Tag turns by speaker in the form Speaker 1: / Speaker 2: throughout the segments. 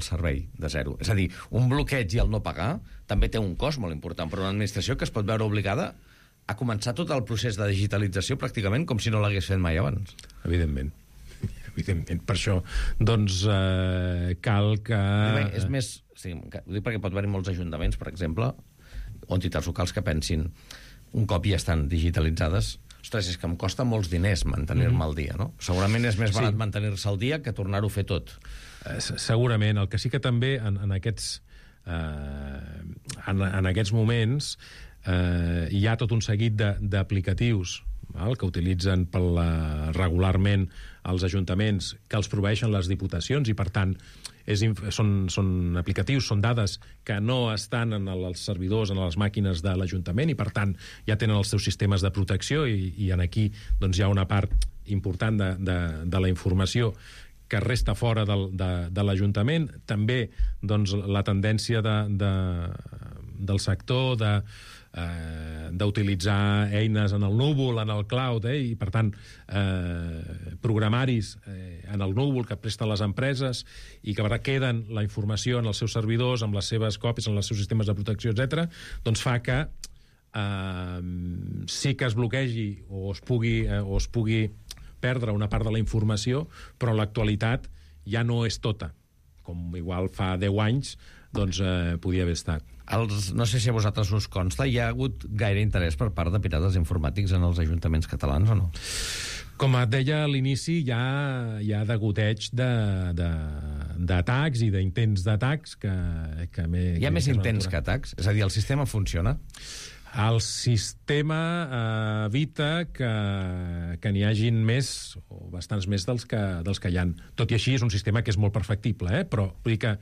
Speaker 1: el servei de zero. És a dir, un bloqueig i el no pagar també té un cost molt important per una administració que es pot veure obligada a començar tot el procés de digitalització pràcticament com si no l'hagués fet mai abans.
Speaker 2: Evidentment. Per això, doncs, cal que...
Speaker 1: És més... Sí, ho dic perquè pot haver-hi molts ajuntaments, per exemple, o entitats locals que pensin un cop ja estan digitalitzades, ostres, és que em costa molts diners mantenir-me al dia, no? Segurament és més barat mantenir-se al dia que tornar-ho a fer tot.
Speaker 2: Segurament. El que sí que també en aquests moments hi ha tot un seguit d'aplicatius que utilitzen regularment els ajuntaments, que els proveeixen les diputacions, i per tant són aplicatius, són dades que no estan en els servidors, en les màquines de l'Ajuntament, i per tant ja tenen els seus sistemes de protecció, i en aquí doncs, hi ha una part important de la informació que resta fora de l'Ajuntament. També doncs, la tendència del sector d'utilitzar eines en el núvol, en el cloud, i per tant programaris en el núvol que presten les empreses i que queden la informació en els seus servidors, amb les seves còpies, en els seus sistemes de protecció, etc., doncs fa que sí que es bloquegi o es pugui perdre una part de la informació, però l'actualitat ja no és tota, com igual fa 10 anys doncs podia haver estat.
Speaker 1: No sé si a vosaltres us consta, hi ha hagut gaire interès per part de pirates informàtics en els ajuntaments catalans o no?
Speaker 2: Com et deia a l'inici, hi ha degoteig d'atacs i d'intents d'atacs que
Speaker 1: hi ha més intents que atacs? És a dir, el sistema funciona?
Speaker 2: El sistema evita que n'hi hagin més, o bastants més dels que hi ha. Tot i així, és un sistema que és molt perfectible, però vull dir que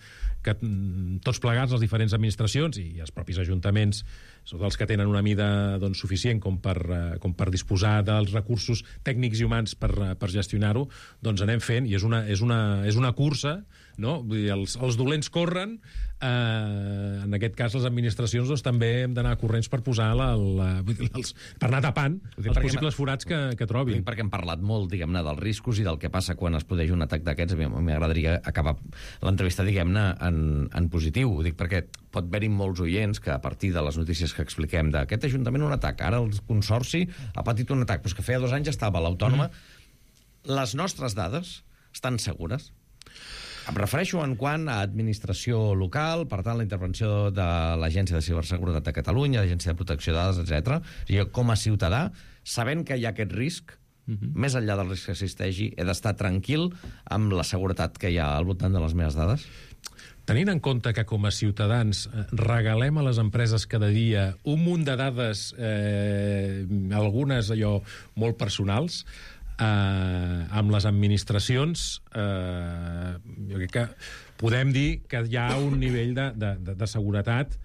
Speaker 2: tots plegats, les diferents administracions i els propis ajuntaments, són els que tenen una mida doncs, suficient com per disposar dels recursos tècnics i humans per gestionar-ho, doncs anem fent, i és una cursa, no? Vull dir, els dolents corren, en aquest cas les administracions doncs, també hem d'anar corrents per posar per anar tapant els possibles forats que trobin.
Speaker 1: Perquè hem parlat molt, diguem-ne, dels riscos i del que passa quan es produeix un atac d'aquests. A mi m'agradaria acabar l'entrevista, diguem-ne, en positiu. Ho dic perquè pot haver-hi molts oients que a partir de les notícies que expliquem d'aquest ajuntament un atac, ara el Consorci ha patit un atac, però és que feia 2 anys estava a l'Autònoma. Les nostres dades estan segures? Em refereixo en quant a administració local, per tant, la intervenció de l'Agència de Ciberseguretat de Catalunya, l'Agència de Protecció de Dades, etc. I com a ciutadà, sabent que hi ha aquest risc, més enllà del risc que existeixi, he d'estar tranquil amb la seguretat que hi ha al voltant de les meves dades?
Speaker 2: Tenint en compte que com a ciutadans regalem a les empreses cada dia un munt de dades, algunes allò molt personals, amb les administracions jo crec que podem dir que hi ha un nivell de seguretat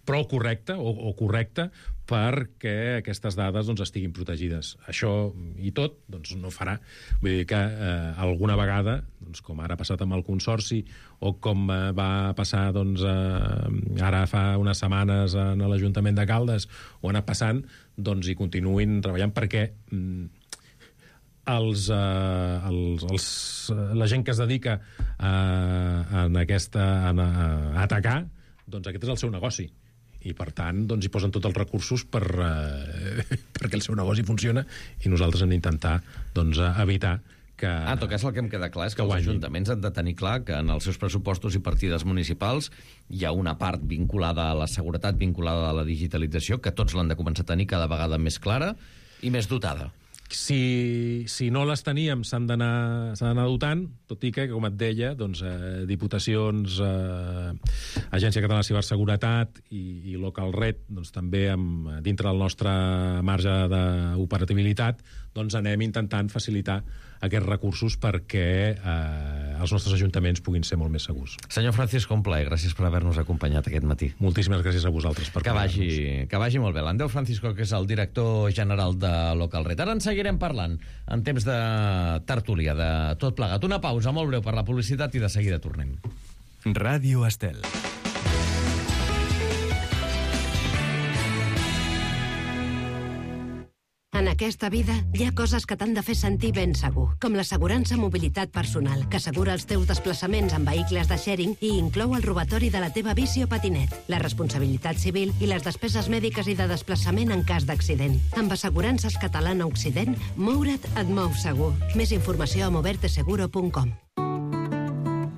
Speaker 2: prou correcte o correcte perquè aquestes dades doncs, estiguin protegides. Això i tot doncs, no farà. Vull dir que alguna vegada, doncs, com ara ha passat amb el Consorci o com va passar doncs, ara fa unes setmanes en l'Ajuntament de Caldes, ho ha anat passant, doncs hi continuïn treballant perquè la gent que es dedica a atacar, doncs aquest és el seu negoci. I per tant doncs, hi posen tots els recursos perquè el seu negoci funciona, i nosaltres hem d'intentar doncs, evitar que...
Speaker 1: En tot cas, el que em queda clar és que els ajuntaments han de tenir clar que en els seus pressupostos i partides municipals hi ha una part vinculada a la seguretat, vinculada a la digitalització, que tots l'han de començar a tenir cada vegada més clara i més dotada.
Speaker 2: Si no les teníem, s'han d'anar dotant, tot i que, com et deia, doncs, diputacions, Agència Catalana de Ciberseguretat i Local Red, doncs, també dintre del nostre marge d'operatibilitat, doncs anem intentant facilitar aquests recursos perquè els nostres ajuntaments puguin ser molt més segurs.
Speaker 1: Senyor Francisco, un plaer. Gràcies per haver-nos acompanyat aquest matí.
Speaker 2: Moltíssimes gràcies a vosaltres per
Speaker 1: que vagi molt bé. L'Andreu Francisco, que és el director general de Local Red. Ara en seguirem parlant en temps de tertúlia, de tot plegat. Una pausa molt breu per la publicitat i de seguida tornem.
Speaker 3: Ràdio Estel.
Speaker 4: En En aquesta vida hi ha coses que t'han de fer sentir ben segur, com l'assegurança mobilitat personal, que assegura els teus desplaçaments en vehicles de sharing i inclou el robatori de la teva bici o patinet, la responsabilitat civil i les despeses mèdiques i de desplaçament en cas d'accident. Amb Assegurances Catalana Occident, moure't et mou segur. Més informació a moverteseguro.com.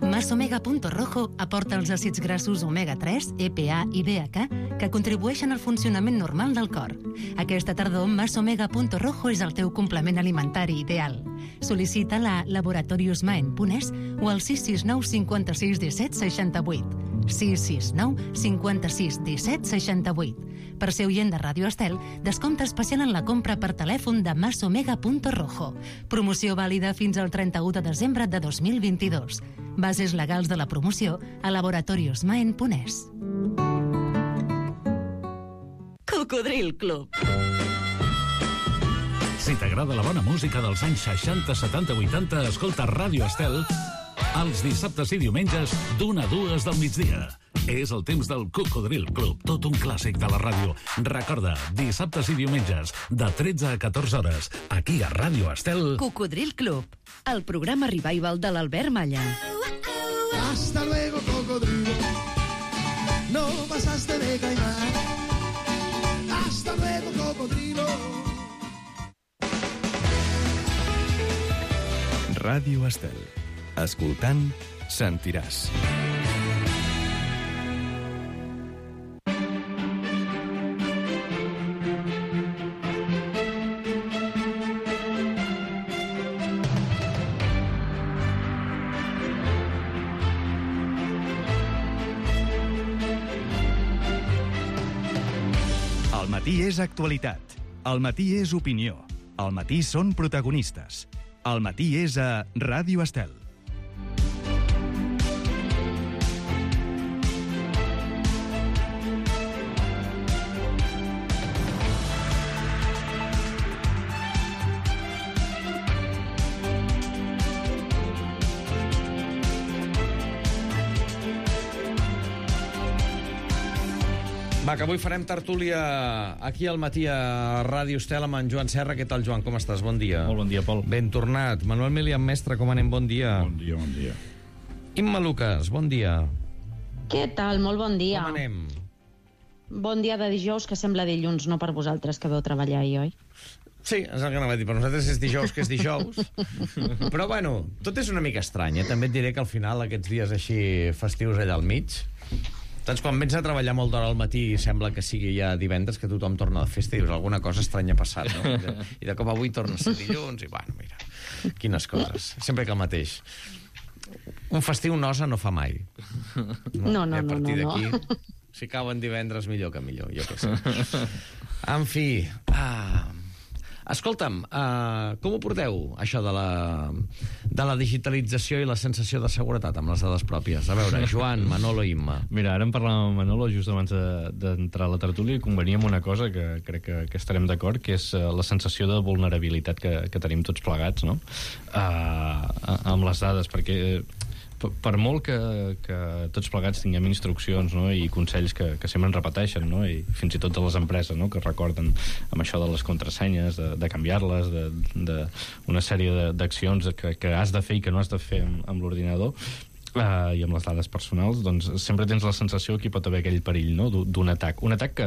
Speaker 5: Masomega.rojo aporta els àcids grassos omega-3, EPA i DHA que contribueixen al funcionament normal del cor. Aquesta tardor, Masomega.rojo és el teu complement alimentari ideal. Sol·licita-la a laboratoriosmaen.es o al 669 56 17 68. 669 56 17 68. Per ser oient de Ràdio Estel, descompte especial en la compra per telèfon de Masomega.rojo. Promoció vàlida fins al 31 de desembre de 2022. Bases legals de la promoció a laboratoriosmaen.es.
Speaker 6: Cocodril Club.
Speaker 7: Si t'agrada la bona música dels anys 60, 70, 80, escolta Ràdio Estel els dissabtes i diumenges d'1 a 2 del migdia. És el temps del Cocodril Club, tot un clàssic de la ràdio. Recorda, dissabtes i diumenges, de 13 a 14 hores, aquí a Ràdio Estel.
Speaker 6: Cocodril Club, el programa revival de l'Albert Malla.
Speaker 8: Hasta luego, cocodrilo. No pasaste de caimán. Hasta luego, cocodrilo.
Speaker 3: Ràdio Estel. Escoltant, sentiràs.
Speaker 9: Al matí és actualitat. Al matí és opinió. Al matí són protagonistes. Al matí és a Ràdio Estel.
Speaker 1: Va, que avui farem tertúlia aquí al matí a Ràdio Estel amb en Joan Serra. Què tal, Joan? Com estàs? Bon dia.
Speaker 10: Molt bon dia, Pol.
Speaker 1: Ben tornat. Manuel Milian Mestre, com anem? Bon dia.
Speaker 11: Bon dia, bon dia.
Speaker 1: Imma Lucas, bon dia.
Speaker 12: Què tal? Molt bon dia.
Speaker 1: Com anem?
Speaker 12: Bon dia de dijous, que sembla dilluns, no per vosaltres, que veu treballar ahir, oi?
Speaker 1: Sí, és el que anava a dir. Per nosaltres és dijous, que és dijous. Però, bueno, tot és una mica estrany, eh? També et diré que al final, aquests dies així festius allà al mig, doncs quan vens a treballar molt d'hora al matí sembla que sigui ja divendres, que tothom torna de festa i dius, alguna cosa estranya ha passat, no? I de cop avui torna a ser dilluns i, bueno, mira, quines coses. Sempre que el mateix. Un festiu nosa no fa mai.
Speaker 12: No.
Speaker 1: I a partir d'aquí, si cauen divendres, millor que millor, jo què sé. En fi... Escolta'm, com ho porteu, això de la digitalització i la sensació de seguretat amb les dades pròpies? A veure, Joan, Manolo i Imma.
Speaker 10: Mira, ara en parlàvem amb Manolo just abans d'entrar a la tertúlia i conveníem una cosa que crec que estarem d'acord, que és la sensació de vulnerabilitat que tenim tots plegats, no? Amb les dades, perquè... Per molt que tots plegats tinguem instruccions, no? I consells que sempre ens repeteixen, no? I fins i tot de les empreses, no? Que recorden amb això de les contrasenyes, de canviar-les, una sèrie d'accions que has de fer i que no has de fer amb l'ordinador, i amb les dades personals, doncs sempre tens la sensació que hi pot haver aquell perill, no? D'un atac. Un atac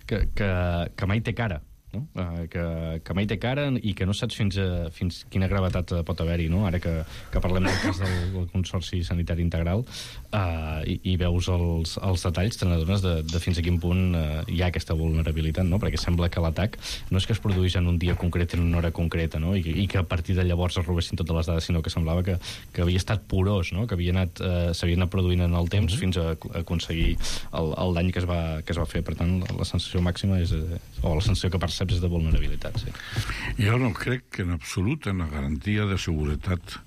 Speaker 10: que mai té cara, no? Que mai té cara i que no saps fins quina gravetat pot haver-hi, no? Ara que parlem del cas del Consorci Sanitari Integral i veus els detalls, te n'adones de fins a quin punt hi ha aquesta vulnerabilitat, no? Perquè sembla que l'atac no és que es produís en un dia concret, en una hora concreta, no? I que a partir de llavors es robessin totes les dades, sinó que semblava que havia estat porós, no? Que s'havia anat produint en el temps fins a aconseguir el dany que es va fer. Per tant, la sensació màxima o la sensació que perceps és de vulnerabilitat, sí.
Speaker 11: Jo no crec en absolut en la garantia de seguretat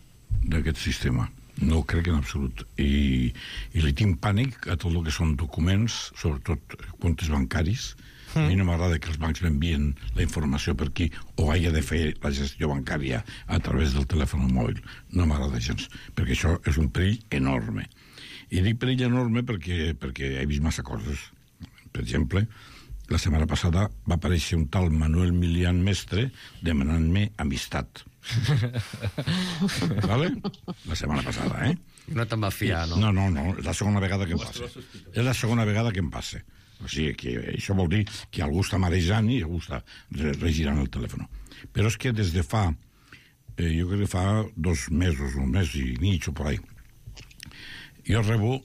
Speaker 11: d'aquest sistema. No crec en absolut. I li tinc pànic a tot el que són documents, sobretot comptes bancaris. A mi no m'agrada que els bancs m'envien la informació per aquí o hagi de fer la gestió bancària a través del telèfon mòbil. No m'agrada gens, perquè això és un perill enorme. I dic perill enorme perquè he vist massa coses. Per exemple, la setmana passada va aparèixer un tal Manuel Milian Mestre demanant-me amistat. Vale? La setmana passada,
Speaker 1: No te'n va fiar, no?
Speaker 11: No, és la segona vegada que em passa. És la segona vegada que em passa. O sigui, que això vol dir que algú està marejant i algú està regirant el telèfon. Però és que des de fa, jo crec que fa 2 mesos, 1 mes i mig o per ahí, jo rebo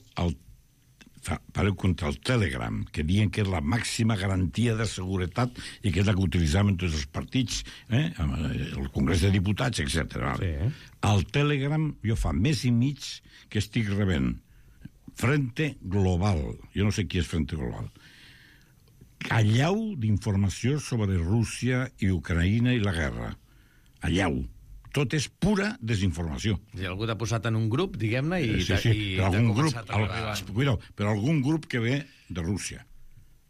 Speaker 11: pareu contra el Telegram, que diuen que és la màxima garantia de seguretat i que és la que utilitzaven tots els partits, el Congrés de Diputats, etc. Sí. Al Telegram jo fa mes i mig que estic rebent Frente Global. Jo no sé qui és Frente Global. Allau d'informació sobre Rússia i Ucraïna i la guerra. Allau. Tot és pura desinformació.
Speaker 1: I algú t'ha posat en un grup, diguem-ne, i
Speaker 11: però algun grup que ve de Rússia,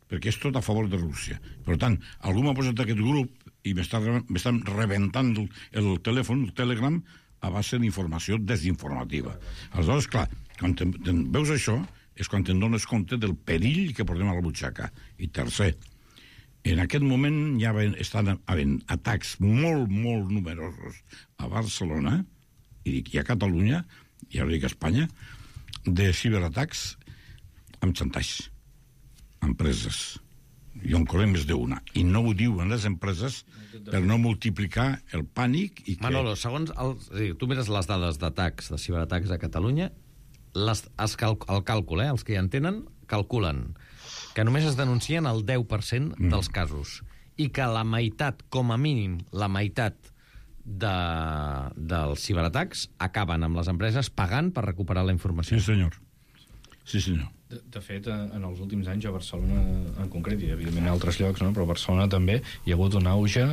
Speaker 11: perquè és tot a favor de Rússia. Per tant, algú m'ha posat aquest grup i m'estan rebentant el telèfon, el Telegram, a base d'informació desinformativa. Aleshores, clar, quan veus això, és quan te'n dones compte del perill que portem a la butxaca. I tercer, en aquest moment ja estan havent atacs molt, molt numerosos a Barcelona i a Catalunya, i ara dic a Espanya, de ciberatacs amb xantatge, empreses. Jo en conec més d'una. I no ho diuen les empreses per no multiplicar el pànic i que...
Speaker 1: Manolo, segons... tu mires les dades d'atacs, de ciberatacs a Catalunya, el càlcul, els que hi en tenen, calculen que només es denuncien el 10% dels casos i que la meitat, com a mínim, la meitat dels ciberatacs acaben amb les empreses pagant per recuperar la informació.
Speaker 11: Sí, senyor. Sí, senyor.
Speaker 10: De fet, en els últims anys a Barcelona en concret, i evidentment a altres llocs, no? Però a Barcelona també hi ha hagut un auge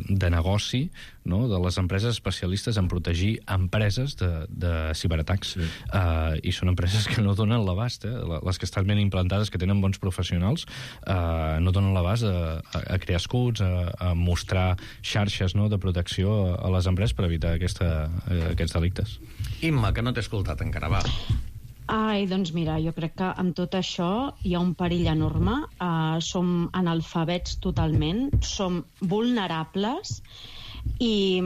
Speaker 10: de negoci, no? De les empreses especialistes en protegir empreses de ciberatacs. Sí. I són empreses que no donen l'abast, les que estan ben implantades, que tenen bons professionals, no donen l'abast a crear escuts, a mostrar xarxes, no? De protecció a les empreses per evitar aquests delictes.
Speaker 1: Imma, que no t'he escoltat encara, va.
Speaker 12: Doncs mira, jo crec que amb tot això hi ha un perill enorme. Som analfabets totalment, som vulnerables i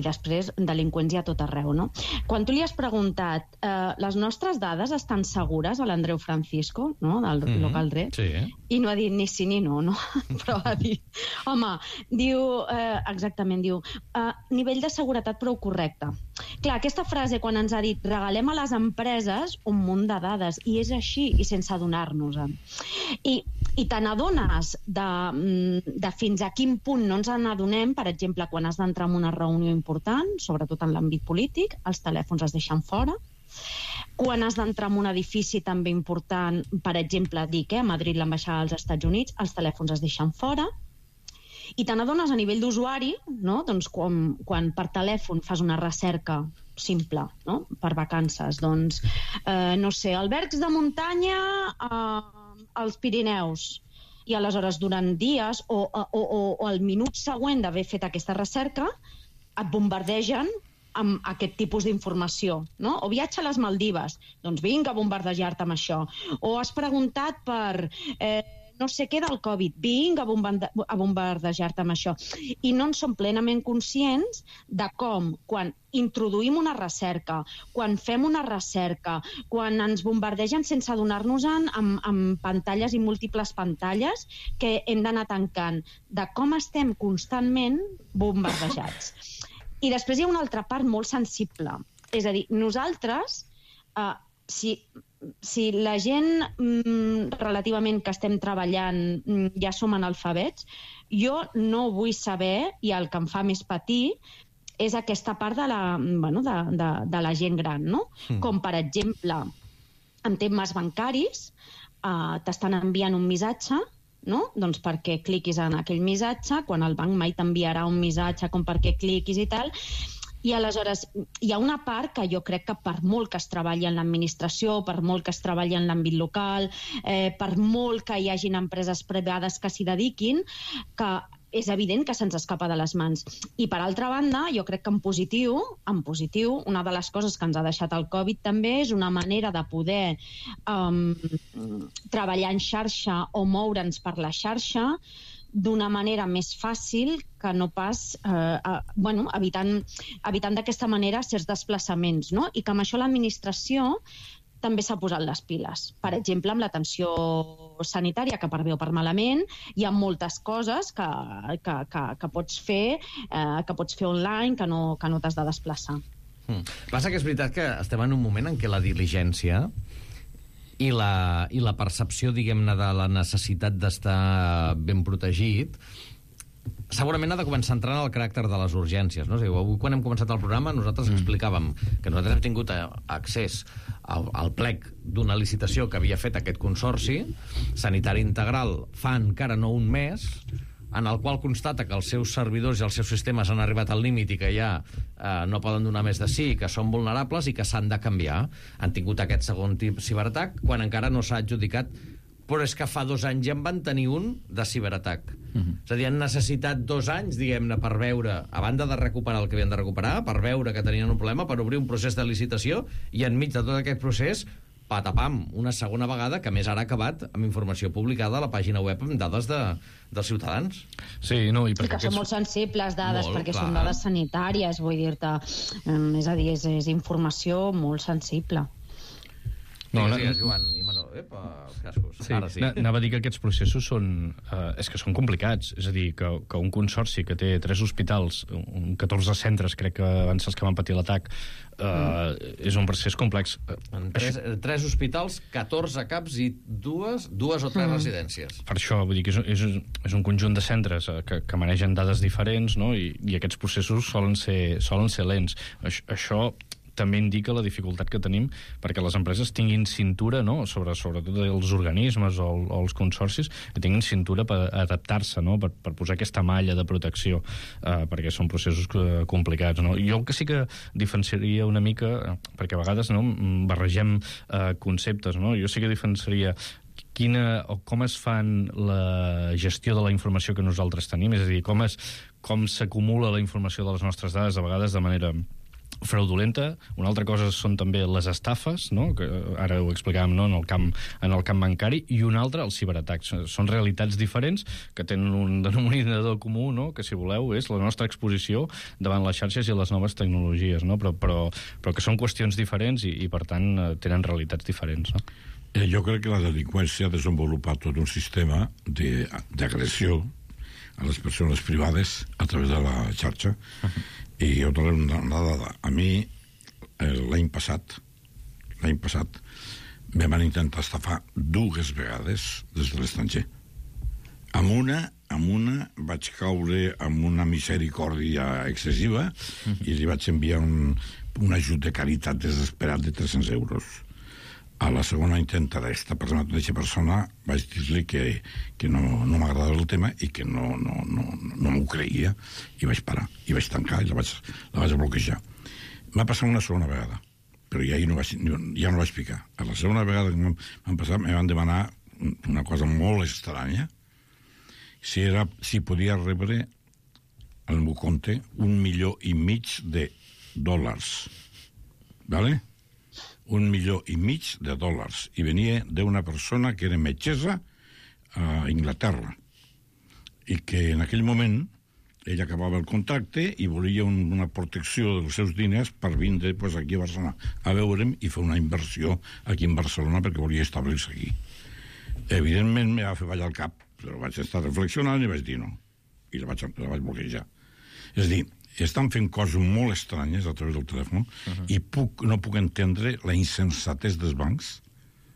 Speaker 12: després delinqüents hi ha tot arreu, no? Quan tu li has preguntat les nostres dades estan segures a l'Andreu Francisco, no? Del local Re,
Speaker 1: sí,
Speaker 12: i no ha dit ni sí ni no, no? Però ha dit, home, diu, exactament, diu, nivell de seguretat prou correcte. Clar, aquesta frase quan ens ha dit regalem a les empreses un munt de dades, i és així, i sense adonar-nos-en. I te n'adones de fins a quin punt no ens n'adonem, per exemple, quan has d'entrar en una reunió important, sobretot en l'àmbit polític, els telèfons es deixen fora. Quan has d'entrar en un edifici també important, per exemple, dic, a Madrid, l'ambaixada dels Estats Units, els telèfons es deixen fora. I te n'adones a nivell d'usuari, no? Doncs quan per telèfon fas una recerca simple, no? Per vacances, doncs, no sé, albergs de muntanya als Pirineus. I aleshores, durant dies o al minut següent d'haver fet aquesta recerca, et bombardegen amb aquest tipus d'informació, no? O viatge a les Maldives, doncs vinga a bombardejar-te amb això. O has preguntat per no sé què del Covid, vinga a bombardejar-te amb això. I no en som plenament conscients de com, quan introduïm una recerca, quan fem una recerca, quan ens bombardegen sense adonar-nos-en amb pantalles i múltiples pantalles que hem d'anar tancant, de com estem constantment bombardejats. I després hi ha una altra part molt sensible. És a dir, nosaltres, si la gent relativament que estem treballant ja som analfabets, jo no vull saber, i el que em fa més patir, és aquesta part de la gent gran, no? Com, per exemple, en temes bancaris, t'estan enviant un missatge, no? Doncs perquè cliquis en aquell missatge, quan el banc mai t'enviarà un missatge com perquè cliquis i tal. I aleshores hi ha una part que jo crec que per molt que es treballi en l'administració, per molt que es treballi en l'àmbit local, per molt que hi hagin empreses privades que s'hi dediquin, que és evident que se'ns escapa de les mans. I, per altra banda, jo crec que en positiu, una de les coses que ens ha deixat el Covid també és una manera de poder treballar en xarxa o moure'ns per la xarxa d'una manera més fàcil que no pas evitant d'aquesta manera certs desplaçaments, no? I que amb això l'administració també s'ha posat les piles. Per exemple, amb l'atenció sanitària, que per bé o per malament, hi ha moltes coses que pots fer online, que no t'has de desplaçar.
Speaker 1: Passa que és veritat que estem en un moment en què la diligència i la percepció, diguem-ne, de la necessitat d'estar ben protegit segurament ha de començar a entrar en el caràcter de les urgències, no? O sigui, avui, quan hem començat el programa, nosaltres explicàvem que nosaltres hem tingut accés al plec d'una licitació que havia fet aquest consorci sanitari integral fa encara no un mes, en el qual constata que els seus servidors i els seus sistemes han arribat al límit i que ja no poden donar més de sí, que són vulnerables i que s'han de canviar. Han tingut aquest segon ciberatac quan encara no s'ha adjudicat, però és que fa 2 anys ja en van tenir un de ciberatac. És a dir, han necessitat 2 anys, diguem-ne, per veure, a banda de recuperar el que havien de recuperar, per veure que tenien un problema, per obrir un procés de licitació, i enmig de tot aquest procés, patapam, una segona vegada, que més ara ha acabat amb informació publicada a la pàgina web amb dades dels ciutadans.
Speaker 10: Sí, no, i
Speaker 12: que són molt sensibles dades, perquè són dades sanitàries, vull dir-te. És a dir, és informació molt sensible.
Speaker 1: No, Joan, i Manol, els cascos.
Speaker 10: Sí, ara sí. Anava a dir que aquests processos són complicats. És a dir, que un consorci que té 3 hospitals, 14 centres, crec que van ser els que van patir l'atac, és un procés complex.
Speaker 1: 3 hospitals, 14 CAPs i 2 o 3 residències.
Speaker 10: Per això, vull dir que és un conjunt de centres que manegen dades diferents, no? I aquests processos solen ser lents. Això també indica la dificultat que tenim perquè les empreses tinguin cintura, no?, sobretot els organismes o els consorcis, que tinguin cintura per adaptar-se, no?, per posar aquesta malla de protecció, perquè són processos complicats, no? Jo que sí que diferenciaria una mica, perquè a vegades barregem conceptes, no? Jo sí que diferenciaria com es fan la gestió de la informació que nosaltres tenim, és a dir, com s'acumula la informació de les nostres dades, a vegades de manera fraudulenta. Una altra cosa són també les estafes, no?, que ara ho explicàvem, no?, en el camp bancari, i una altra, els ciberatacs. Són realitats diferents que tenen un denominador comú, no?, que, si voleu, és la nostra exposició davant les xarxes i les noves tecnologies, no?, però que són qüestions diferents i per tant, tenen realitats diferents, no?
Speaker 11: Jo crec que la delinqüència ha desenvolupat tot un sistema d'agressió a les persones privades a través de la xarxa. I jo trobo una dada. A mi, l'any passat, me van intentar estafar 2 vegades des de l'estranger. Amb una vaig caure amb una misericòrdia excessiva i li vaig enviar un ajut de caritat desesperat de 300 euros. A la segona intenta d'aquesta persona vaig dir-li que no m'agradava el tema i que no m'ho creia, i vaig parar, i vaig tancar i la vaig bloquejar. M'ha passat una segona vegada, però ja no vaig picar. A la segona vegada que m'han passat, me van demanar una cosa molt estranya, si podia rebre al meu compte $1,5 milió, ¿vale? $1,5 milió, i venia d'una persona que era metgessa a Inglaterra i que en aquell moment ell acabava el contracte i volia una protecció dels seus diners per vindre aquí a Barcelona a veure'm i fer una inversió aquí en Barcelona perquè volia establir-se aquí. Evidentment me va fer ballar el cap, però vaig estar reflexionant i vaig dir no, i la vaig bloquejar. És a dir, estan fent coses molt estranyes a través del telèfon i no puc entendre la insensatesa dels bancs,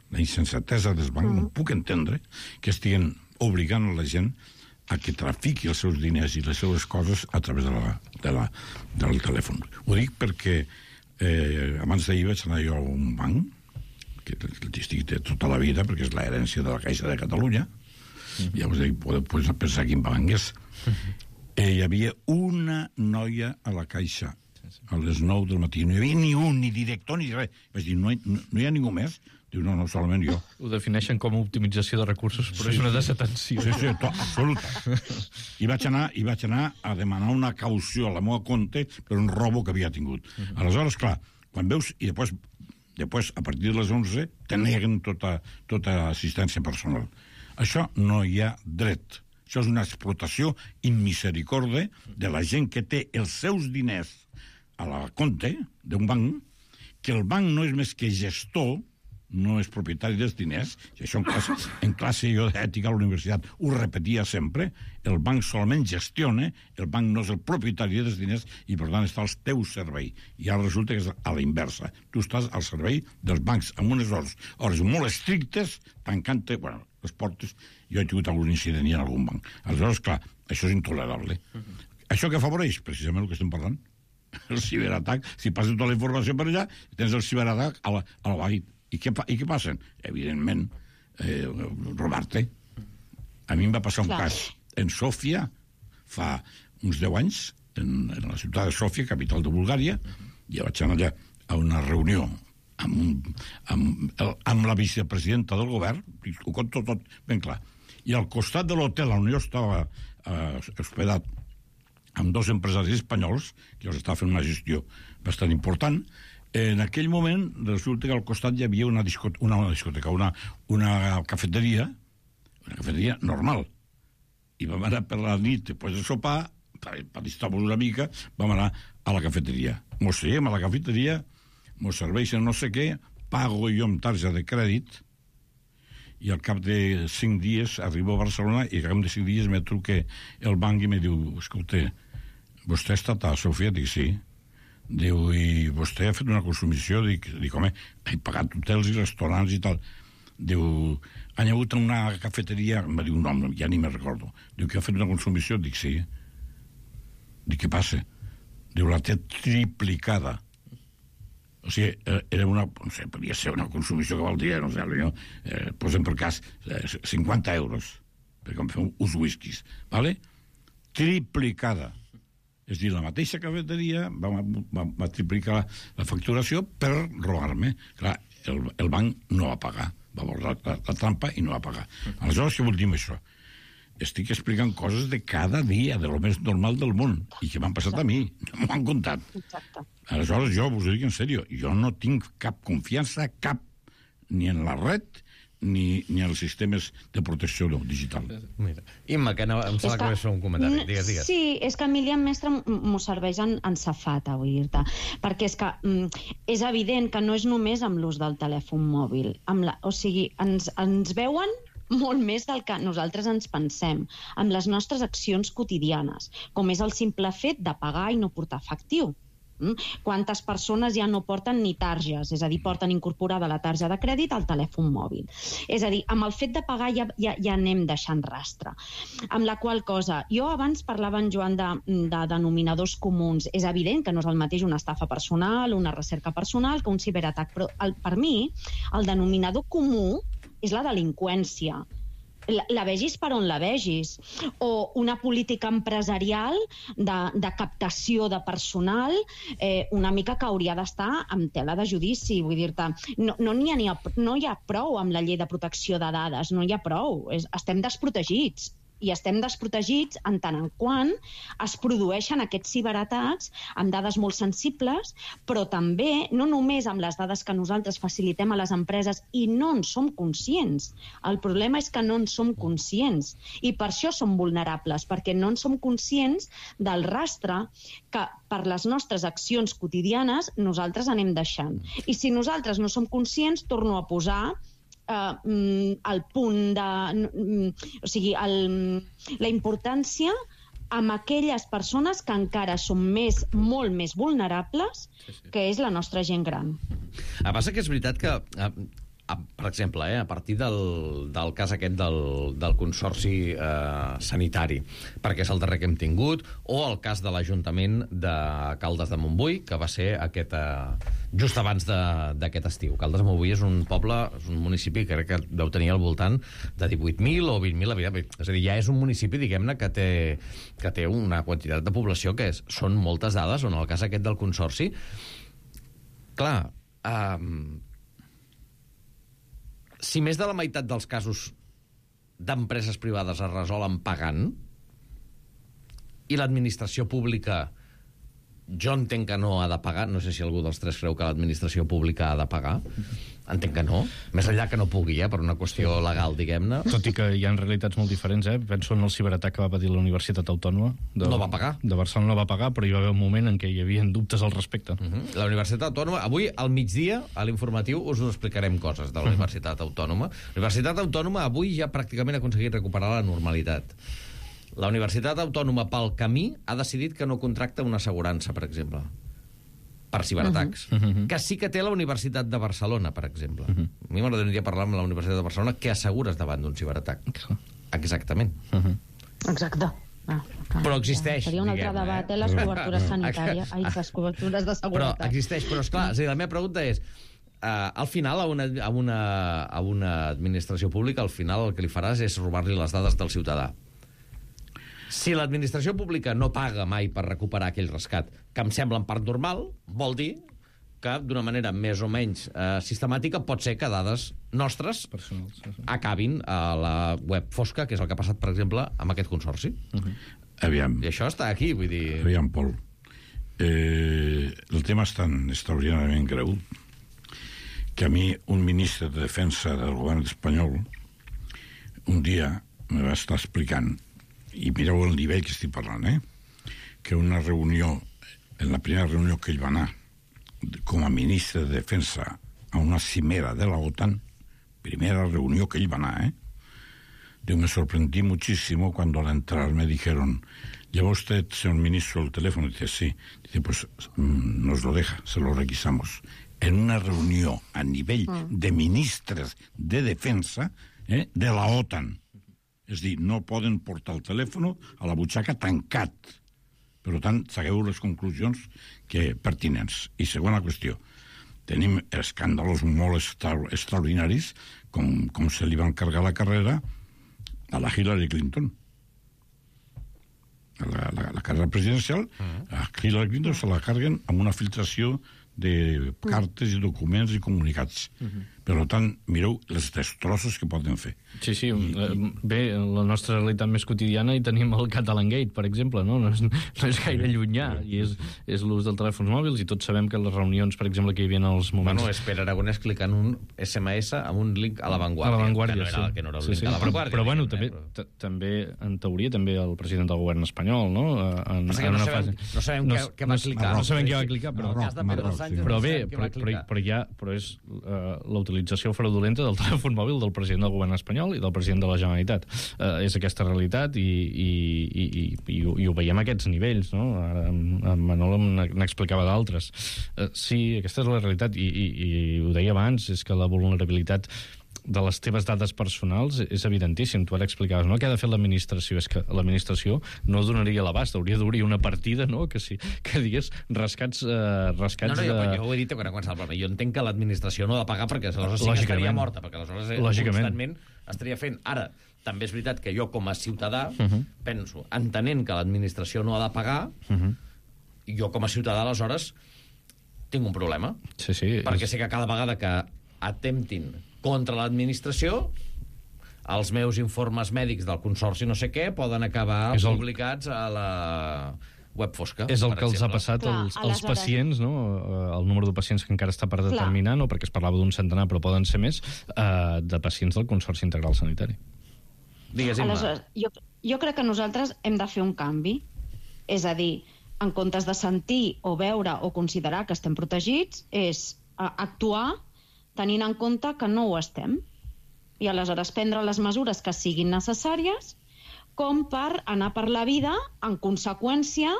Speaker 11: no puc entendre que estiguen obligant a la gent a que trafiqui els seus diners i les seves coses a través del telèfon. Ho dic perquè abans d'ahir vaig anar jo a un banc, que estic de tota la vida, perquè és l'herència de la Caixa de Catalunya, ja us dic, podeu pensar quin banc és. Hi havia una noia a la Caixa a les 9 del matí. No hi havia ni un, ni director, ni res. Vaig dir, no hi ha ningú més? Diu, no, solament jo.
Speaker 10: Ho defineixen com a optimització de recursos, però és una desatenció.
Speaker 11: Sí, absoluta. I vaig anar a demanar una caució a la meva compte per un robo que havia tingut. Aleshores, clar, quan veus... I després a partir de les 11, te neguen tota assistència personal. Això no hi ha dret. Això és una explotació immisericorde de la gent que té els seus diners a la compte d'un banc, que el banc no és més que gestor, no és propietari dels diners, i això en classe jo d'ètica a la universitat ho repetia sempre, el banc solament gestiona, el banc no és el propietari dels diners i per tant està al teu servei. I ara resulta que és a la inversa. Tu estàs al servei dels bancs amb unes hores molt estrictes, tancant les portes. Jo he tingut algun incident en algun banc. Aleshores, clar, això és intolerable. Això que afavoreix precisament el que estem parlant. El ciberatac, si passes tota la informació per allà, tens el ciberatac a la banc. I què passen? Evidentment, robar-te. A mi em va passar un cas en Sòfia fa uns 10 anys, en la ciutat de Sòfia, capital de Bulgària, i vaig anar allà a una reunió amb la vicepresidenta del govern, ho conto tot ben clar. I al costat de l'hotel on jo estava hospedat amb 2 empresaris espanyols, que els estava fent una gestió bastant important. En aquell moment resulta que al costat hi havia una cafeteria normal. I vam anar per la nit, després de sopar, per estar-nos una mica, vam anar a la cafeteria. Mos seiem a la cafeteria, mos serveixen no sé què, pago jo amb tarja de crèdit, i al cap de 5 dies arribo a Barcelona i al cap de 5 dies me truca el banc i me diu, escolta, vostè ha estat a Sofia? Dic, sí. Diu, i vostè ha fet una consumició? Dic, home, he pagat hotels i restaurants i tal. Diu, han hagut una cafeteria, em va dir un nom, ja ni me'n recordo. Diu, que ha fet una consumició? Dic, sí. Dic, què passa? Diu, la té triplicada. O sigui, era una, no sé, podia ser una consumició que valdria, no sé, posem per cas 50 euros, perquè em fem uns whiskies, ¿vale? Triplicada. És a dir, la mateixa cafeteria va triplicar la facturació per robar-me. Clar, el banc no va pagar. Va veure la trampa i no va pagar. Aleshores, què vol dir això? Estic explicant coses de cada dia, de lo més normal del món, i que m'han passat a mi, no m'ho han contat. Aleshores, jo us ho dic en sèrio, jo no tinc cap confiança, ni en la red, ni als sistemes de protecció digital.
Speaker 1: Mira, Imma, que em sembla que és un comentari. Digues.
Speaker 12: Sí, és que Emilian Mestre m'ho serveix en safata, vull dir-te, perquè és que és evident que no és només amb l'ús del telèfon mòbil. O sigui, ens veuen molt més del que nosaltres ens pensem, amb les nostres accions quotidianes, com és el simple fet de pagar i no portar efectiu. Quantes persones ja no porten ni targes, és a dir, porten incorporada la tarja de crèdit al telèfon mòbil. És a dir, amb el fet de pagar ja anem deixant rastre. Amb la qual cosa, jo abans parlava en Joan de denominadors comuns. És evident que no és el mateix una estafa personal, una recerca personal, que un ciberatac, però per mi el denominador comú és la delinqüència. La vegis per on la vegis, o una política empresarial de captació de personal una mica que hauria d'estar amb tela de judici, vull dir-te, no hi ha prou amb la llei de protecció de dades, no hi ha prou, estem desprotegits. I estem desprotegits en tant en quant es produeixen aquests ciberatacs amb dades molt sensibles, però també, no només amb les dades que nosaltres facilitem a les empreses i no en som conscients. El problema és que no en som conscients i per això som vulnerables, perquè no en som conscients del rastre que per les nostres accions quotidianes nosaltres anem deixant. I si nosaltres no som conscients, torno a posar el punt de... O sigui, la importància amb aquelles persones que encara són molt més vulnerables, que és la nostra gent gran.
Speaker 1: Passa que és veritat que per exemple, a partir del cas aquest del Consorci Sanitari, perquè és el darrer que hem tingut, o el cas de l'Ajuntament de Caldes de Montbui, que va ser just abans d'aquest estiu. Caldes de Montbui és un poble, és un municipi que crec que deu tenir al voltant de 18.000 o 20.000 habitants. És a dir, ja és un municipi, diguem-ne, que té una quantitat de població que són moltes dades, on el cas aquest del Consorci, clar, si més de la meitat dels casos d'empreses privades es resolen pagant i l'administració pública, jo entenc que no ha de pagar, no sé si algú dels tres creu que l'administració pública ha de pagar, entenc que no, més enllà que no pugui, per una qüestió legal, diguem-ne.
Speaker 10: Tot i que hi ha realitats molt diferents, penso en el ciberatac que va patir la Universitat Autònoma.
Speaker 1: No va pagar.
Speaker 10: De Barcelona no va pagar, però hi va haver un moment en què hi havia dubtes al respecte.
Speaker 1: La Universitat Autònoma, avui al migdia, a l'informatiu, us explicarem coses de la Universitat Autònoma. La Universitat Autònoma avui ja pràcticament ha aconseguit recuperar la normalitat. La Universitat Autònoma, pel camí, ha decidit que no contracta una assegurança, per exemple, per ciberatacs. Que sí que té la Universitat de Barcelona, per exemple. A mi m'agradaria parlar amb la Universitat de Barcelona què assegures davant d'un ciberatac. Exactament.
Speaker 12: Exacte.
Speaker 1: Però existeix,
Speaker 12: seria un altre debat, les cobertures sanitàries, les cobertures de seguretat.
Speaker 1: Però existeix, però esclar, la meva pregunta és, al final, a una administració pública, al final el que li faràs és robar-li les dades del ciutadà. Si l'administració pública no paga mai per recuperar aquell rescat, que em sembla en part normal, vol dir que d'una manera més o menys sistemàtica pot ser que dades nostres acabin a la web fosca, que és el que ha passat, per exemple, amb aquest consorci.
Speaker 11: Aviam.
Speaker 1: I això està aquí, vull dir...
Speaker 11: Aviam, Pol. El tema és tan extraordinàriament greu que a mi un ministre de Defensa del govern espanyol un dia me va estar explicant, i mireu el nivell que estic parlant, que una reunió, en la primera reunió que ell va anar com a ministre de Defensa a una cimera de la OTAN, primera reunión que ell va anar, me sorprendí muchísimo cuando al entrar me dijeron, ¿lleva usted, señor ministro, el teléfono? Y dice, sí. Dice, pues nos lo deja, se lo requisamos. En una reunión a nivel de ministres de defensa de la OTAN. És dir, no poden portar el telèfon a la butxaca tancat. Per tant, segueu les conclusions pertinents. I segona qüestió, tenim escàndalos molt extraordinaris com se li va encargar la carrera a la Hillary Clinton. La carrera presidencial, a Hillary Clinton se la carguen amb una filtració de cartes i documents i comunicats. Per tant, mireu les destrossos que poden fer.
Speaker 10: Sí, sí. Bé, la nostra realitat més quotidiana hi tenim el Catalan Gate, per exemple, no? No és gaire llunyà, i és l'ús dels telèfons mòbils, i tots sabem que les reunions, per exemple, que hi havia en els moments...
Speaker 1: Bueno, és Pere Aragonès clicant un SMS amb un link a La Vanguardia.
Speaker 10: A La Vanguardia,
Speaker 1: sí. Que no era el link a La Vanguardia.
Speaker 10: Però bueno, també, en teoria, també el president del govern espanyol, no?
Speaker 1: No sabem què va clicar.
Speaker 10: No sabem què va clicar, però bé, però és la utilització fraudulenta del telèfon mòbil del president del govern espanyol i del president de la Generalitat. És aquesta realitat i ho veiem a aquests nivells, no? Ara en Manol n'explicava d'altres. Sí, aquesta és la realitat i ho deia abans, és que la vulnerabilitat de les teves dades personals és evidentíssim. Tu ara explicaves, no? Què ha de fer l'administració? És que l'administració no donaria l'abast, hauria d'obrir una partida, no? Que digués rescats
Speaker 1: jo ho he dit quan començava el programa. Jo entenc que l'administració no ha de pagar perquè aleshores sí que estaria morta, perquè aleshores constantment estaria fent. Ara, també és veritat que jo com a ciutadà penso, entenent que l'administració no ha de pagar, jo com a ciutadà aleshores tinc un problema.
Speaker 10: Sí,
Speaker 1: perquè sé que cada vegada que attemptin contra l'administració, els meus informes mèdics del consorci no sé què poden acabar publicats a la web fosca.
Speaker 10: És el que els ha passat als pacients, no? El número de pacients que encara està per determinar, no? Perquè es parlava d'un centenar, però poden ser més, de pacients del Consorci Integral Sanitari.
Speaker 1: Digues, Imma.
Speaker 12: Aleshores, jo crec que nosaltres hem de fer un canvi. És a dir, en comptes de sentir o veure o considerar que estem protegits, és actuar tenint en compte que no ho estem. I aleshores prendre les mesures que siguin necessàries com per anar per la vida en conseqüència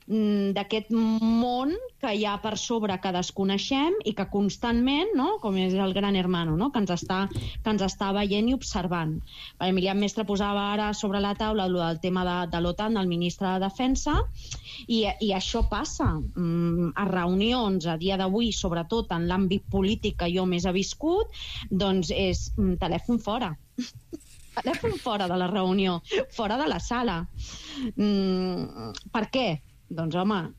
Speaker 12: d'aquest món que hi ha per sobre que desconeixem i que constantment, no? Com és el gran hermano, no? que ens està veient i observant. Emilian Mestre posava ara sobre la taula el tema de l'OTAN, del ministre de Defensa, i això passa a reunions a dia d'avui, sobretot en l'àmbit polític que jo més he viscut, doncs és telèfon fora. Telèfon fora de la reunió, fora de la sala. Per què? Doncs, home,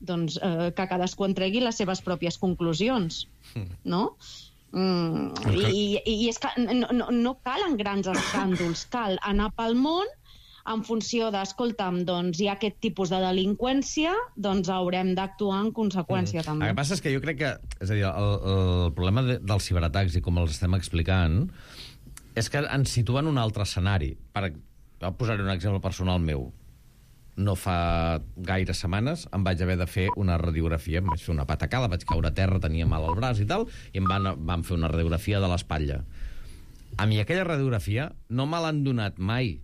Speaker 12: que cadascú en tregui les seves pròpies conclusions, no? I és que no calen grans escàndols, cal anar pel món en funció escolta'm, doncs hi ha aquest tipus de delinqüència, doncs haurem d'actuar en conseqüència també.
Speaker 1: El que passa és que jo crec que, és a dir, el problema dels ciberatacs i com els estem explicant és que ens situen en un altre escenari. Per posar-hi un exemple personal meu. No fa gaires setmanes em vaig haver de fer una radiografia, em vaig fer una patacada, vaig caure a terra, tenia mal al braç i tal, i em van fer una radiografia de l'espatlla. A mi aquella radiografia no me l'han donat mai,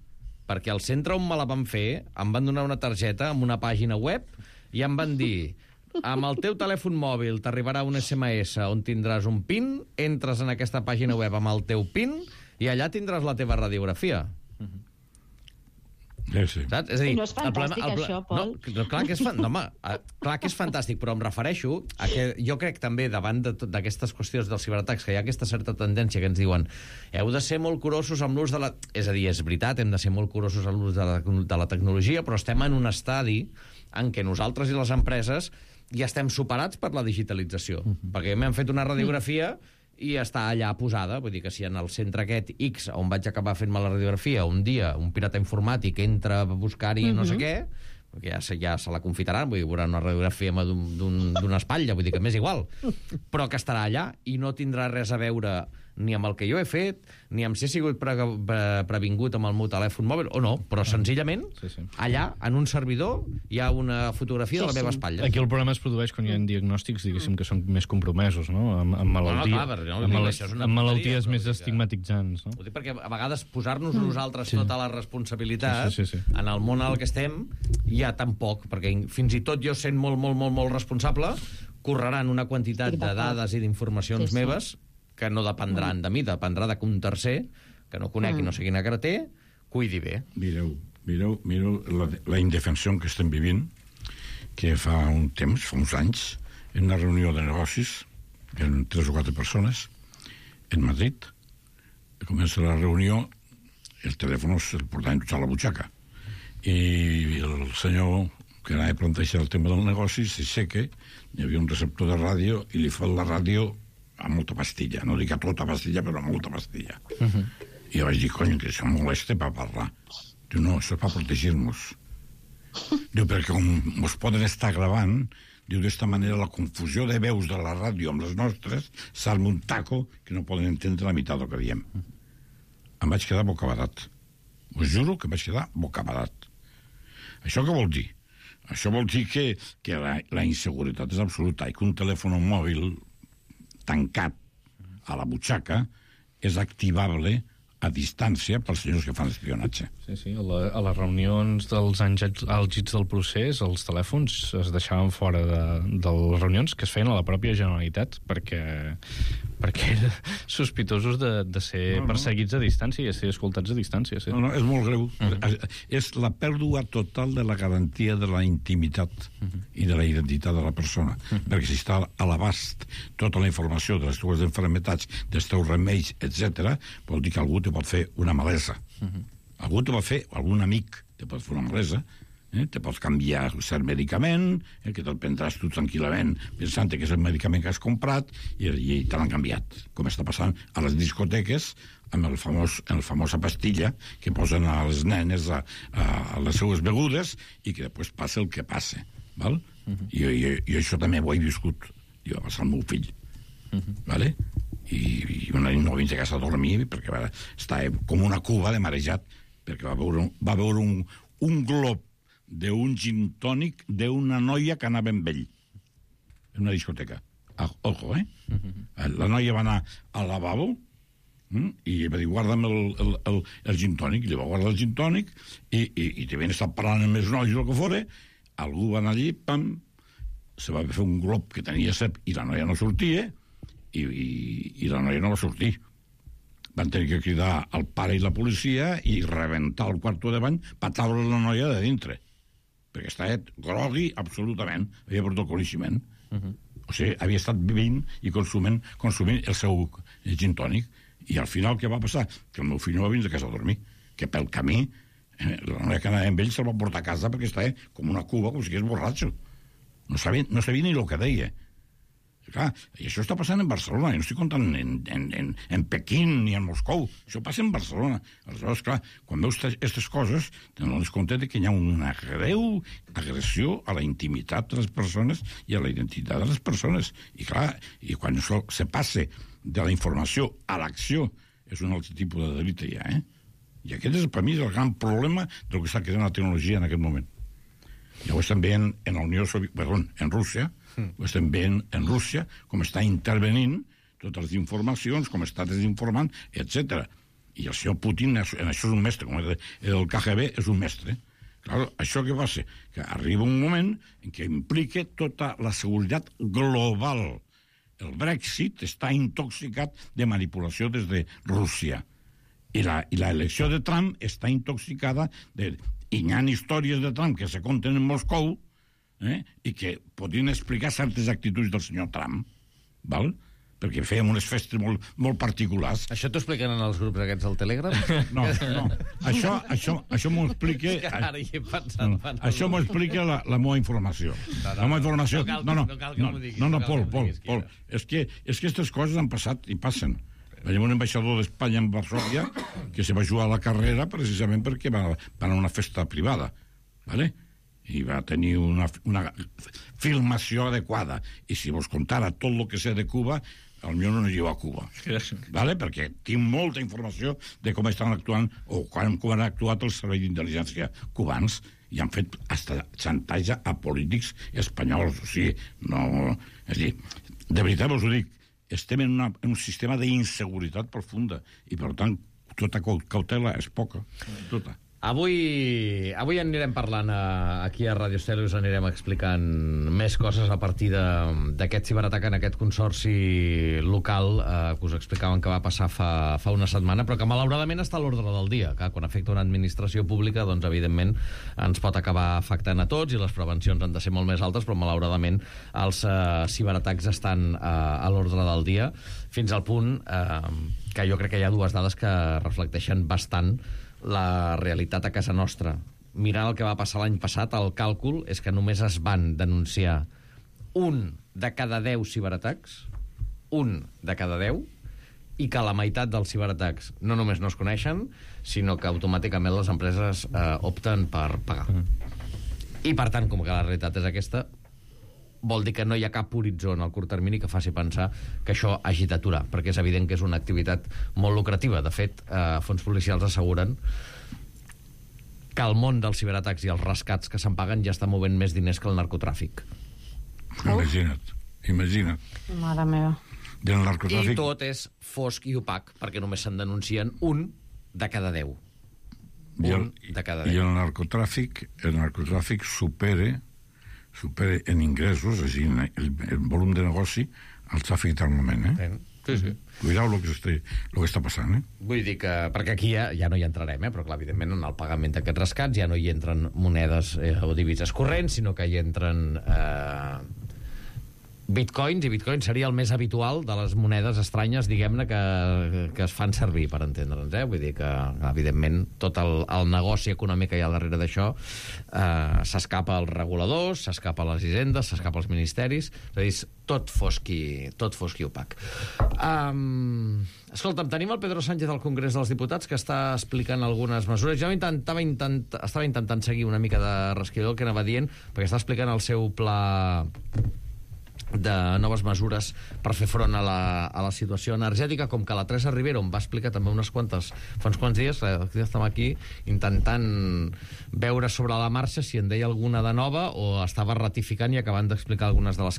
Speaker 1: perquè al centre on me la van fer em van donar una targeta amb una pàgina web i em van dir: amb el teu telèfon mòbil t'arribarà un SMS on tindràs un PIN, entres en aquesta pàgina web amb el teu PIN i allà tindràs la teva radiografia.
Speaker 11: Sí.
Speaker 1: Saps? És a dir,
Speaker 12: no és fantàstic, això, Pol?
Speaker 1: No, clar que és fantàstic, però em refereixo a que jo crec també, davant d'aquestes qüestions dels ciberatacs, que hi ha aquesta certa tendència que ens diuen heu de ser molt curosos amb l'ús de la... És a dir, és veritat, hem de ser molt curosos amb l'ús de la tecnologia, però estem en un estadi en què nosaltres i les empreses ja estem superats per la digitalització. Perquè m'han fet una radiografia i està allà posada, vull dir que si en el centre aquest X, on vaig acabar fent-me la radiografia, un dia un pirata informàtic entra a buscar-hi no sé què, perquè ja se la confitaran, vull dir, veurà una radiografia d'una espatlla, vull dir que m'és igual, però que estarà allà i no tindrà res a veure ni amb el que jo he fet, ni amb si he sigut previngut amb el meu telèfon mòbil, o no, però senzillament, allà, en un servidor, hi ha una fotografia de la meva espatlla.
Speaker 10: Aquí el problema es produeix quan hi ha diagnòstics, diguéssim, que són més compromesos, no? Amb malalties més estigmatitzants, no?
Speaker 1: Ho dic perquè a vegades posar-nos nosaltres tota la responsabilitat en el món en el que estem hi ha tan poc, perquè fins i tot jo sent molt responsable, correran una quantitat de dades i d'informacions meves que no dependran de mi, dependrà de que un tercer, que no conec i no sé quina cara té, cuidi bé.
Speaker 11: Mireu la indefensió que estem vivint, que fa un temps, fa uns anys, en una reunió de negocis, en 3 o 4 persones, en Madrid, comença la reunió, el telèfon el portaven tots a la butxaca, i el senyor que anava a plantejar el tema del negoci s'aixeca, hi havia un receptor de ràdio i li fa la ràdio a molta pastilla, no dic a tota pastilla, però a molta pastilla. I jo vaig dir, cony, que això molesta per parlar. Diu, no, això és per protegir-nos. Diu, perquè com us poden estar gravant, diu, d'esta manera la confusió de veus de la ràdio amb les nostres s'arma un taco que no poden entendre la meitat del que diem. Em vaig quedar bocabadat. Us juro que em vaig quedar bocabadat. Això què vol dir? Això vol dir que la inseguretat és absoluta i que un telèfon mòbil tancat a la butxaca és activable a distància pels senyors que fan espionatge.
Speaker 10: Sí, a les reunions dels anys àlgids del procés, els telèfons es deixaven fora de les reunions que es feien a la pròpia Generalitat perquè eren sospitosos de ser perseguits a distància i de ser escoltats a distància. Sí.
Speaker 11: No, és molt greu. És la pèrdua total de la garantia de la intimitat i de la identitat de la persona. Perquè si està a l'abast tota la informació de les teves malalties, dels teus remeis, etc., vol dir que algú te pot fer una malesa. Algú te pot fer, o algun amic te pot fer una malesa, te pots canviar cert medicament, que te'l prendràs tu tranquil·lament pensant que és el medicament que has comprat i te l'han canviat, com està passant a les discoteques amb la famosa pastilla que posen a les nenes a les seues begudes i que després passa el que passa. Val? Jo això també ho he viscut. Jo va passar al meu fill. Vale? I una nit no vins a casa a dormir perquè estava com una cuba de marejat perquè va veure un glob d'un gin tònic d'una noia que anava amb ell en una discoteca. Ojo, La noia va anar al lavabo i va dir, guarda'm el gin tònic, i li va guardar el gin tònic i te ven estar parlant amb els nois o el que fora, algú va anar allí, pam, se va fer un glob que tenia cep i la noia no sortia, i la noia no va sortir. Van tenir que cridar al pare i la policia i rebentar el quarto de bany per treure la noia de dintre. Perquè estava grogui absolutament, havia perdut el coneixement. O sigui, havia estat vivint i consumint el seu gin tònic. I al final què va passar? Que el meu fill no va vindre a casa a dormir, que pel camí la noia que anava amb ell se'l va portar a casa perquè estava com una cuba, com si fos borratxo. No sabia ni el que deia. Clar, i això està passant en Barcelona, jo no estic contant en Pequín ni en Moscou, això passa en Barcelona. Aleshores, clar, quan veus aquestes coses, t'adones compte que hi ha una greu agressió a la intimitat de les persones i a la identitat de les persones. I clar, i quan això se passa de la informació a l'acció, és un altre tipus de delicte ja, I aquest és, per mi, el gran problema del que està creant la tecnologia en aquest moment. Ja ho estem veient en Rússia, ho estem veient en Rússia, com està intervenint totes les informacions, com està desinformant, etc. I el senyor Putin, en això és un mestre, com el KGB és un mestre. Clar, això què passa? Que arriba un moment en què implica tota la seguretat global. El Brexit està intoxicat de manipulació des de Rússia. I la elecció de Trump està intoxicada i hi ha històries de Trump que se conten en Moscou i que podrien explicar certes actituds del senyor Trump, val? Perquè fèiem unes festes molt particulars.
Speaker 1: Això t'ho expliquen en els grups aquests del Telegram?
Speaker 11: No. Això m'ho explica... Això m'ho explica la meva informació. La meva informació... No, Pol. És que aquestes coses han passat i passen. Veiem un ambaixador d'Espanya en Varsòvia que se va jugar a la carrera precisament perquè va anar a una festa privada, ¿vale? I va tenir una filmació adequada. I si vos contara tot el que sé de Cuba, potser no llevo a Cuba. ¿Vale? Perquè tinc molta informació de com estan actuant o com han actuat els serveis d'intel·ligència cubans i han fet hasta xantatge a polítics espanyols. O sigui, no... És a dir, de veritat vos ho dic, estem en un sistema d'inseguretat profunda i, per tant, tota cautela és poca. Tota.
Speaker 1: Avui anirem parlant aquí a Ràdio Estel i us anirem explicant més coses a partir d'aquest ciberatac en aquest consorci local que us explicaven que va passar fa una setmana, però que malauradament està a l'ordre del dia, que quan afecta una administració pública, doncs evidentment ens pot acabar afectant a tots i les prevencions han de ser molt més altes, però malauradament els ciberatacs estan a l'ordre del dia, fins al punt que jo crec que hi ha dues dades que reflecteixen bastant la realitat a casa nostra. Mirant el que va passar l'any passat, el càlcul és que només es van denunciar 1 de cada 10 ciberatacs, 1 de cada 10, i que la meitat dels ciberatacs no només no es coneixen, sinó que automàticament les empreses opten per pagar. I per tant, com que la realitat és aquesta, vol dir que no hi ha cap horitzó en el curt termini que faci pensar que això hagi d'aturar, perquè és evident que és una activitat molt lucrativa. De fet, fons policials asseguren que el món dels ciberatacs i els rescats que se'n paguen ja està movent més diners que el narcotràfic.
Speaker 11: Imagina't.
Speaker 12: Mare meva.
Speaker 11: I
Speaker 1: tot és fosc i opac, perquè només se'n denuncien 1 de cada 10. De cada 10.
Speaker 11: I el narcotràfic supera en ingressos, és a dir, el volum de negoci, el tràfic d'armament,
Speaker 1: Sí.
Speaker 11: Cuidao el que està passant,
Speaker 1: Vull dir que, perquè aquí ja no hi entrarem, però clar, evidentment en el pagament d'aquests rescats ja no hi entren monedes o divises corrents, sinó que hi entren bitcoins, i bitcoin seria el més habitual de les monedes estranyes, diguem-ne, que es fan servir, per entendre'ns, Vull dir que, evidentment, tot el negoci econòmic que hi ha darrere d'això s'escapa als reguladors, s'escapa a les hisendes, s'escapa als ministeris, és a dir, tot fosc i opac. Escolta'm, tenim el Pedro Sánchez al Congrés dels Diputats, que està explicant algunes mesures. Jo estava intentant seguir una mica de rasquidor el que anava dient, perquè està explicant el seu pla de noves mesures per fer front a la situació energètica, com que la Teresa Rivera em va explicar també fa uns quants dies, que estem aquí intentant veure sobre la marxa si en deia alguna de nova o estava ratificant i acabant d'explicar algunes de les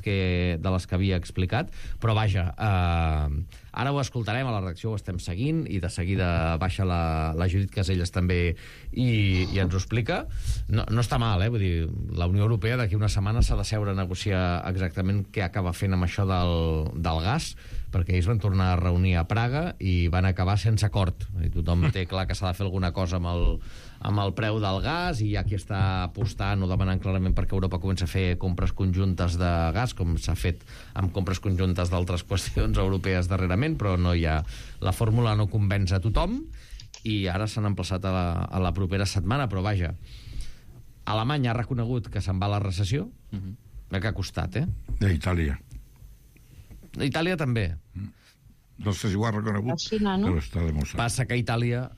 Speaker 1: que havia explicat, però vaja, Ara ho escoltarem, a la redacció ho estem seguint, i de seguida baixa la Judit Caselles també i ens ho explica. No està mal, vull dir, la Unió Europea d'aquí una setmana s'ha de seure a negociar exactament què acaba fent amb això del gas, perquè ells van tornar a reunir a Praga i van acabar sense acord. Tothom té clar que s'ha de fer alguna cosa amb el preu del gas, i hi ha qui està apostant o demanant clarament perquè Europa comença a fer compres conjuntes de gas, com s'ha fet amb compres conjuntes d'altres qüestions europees darrerament, però no hi ha... La fórmula no convenç a tothom, i ara s'han emplaçat a la propera setmana, però vaja, Alemanya ha reconegut que se'n va a la recessió, que ha costat,
Speaker 11: D'Itàlia.
Speaker 1: Itàlia també.
Speaker 11: No sé si ho ha reconegut, però està demostrat.
Speaker 1: Passa que Itàlia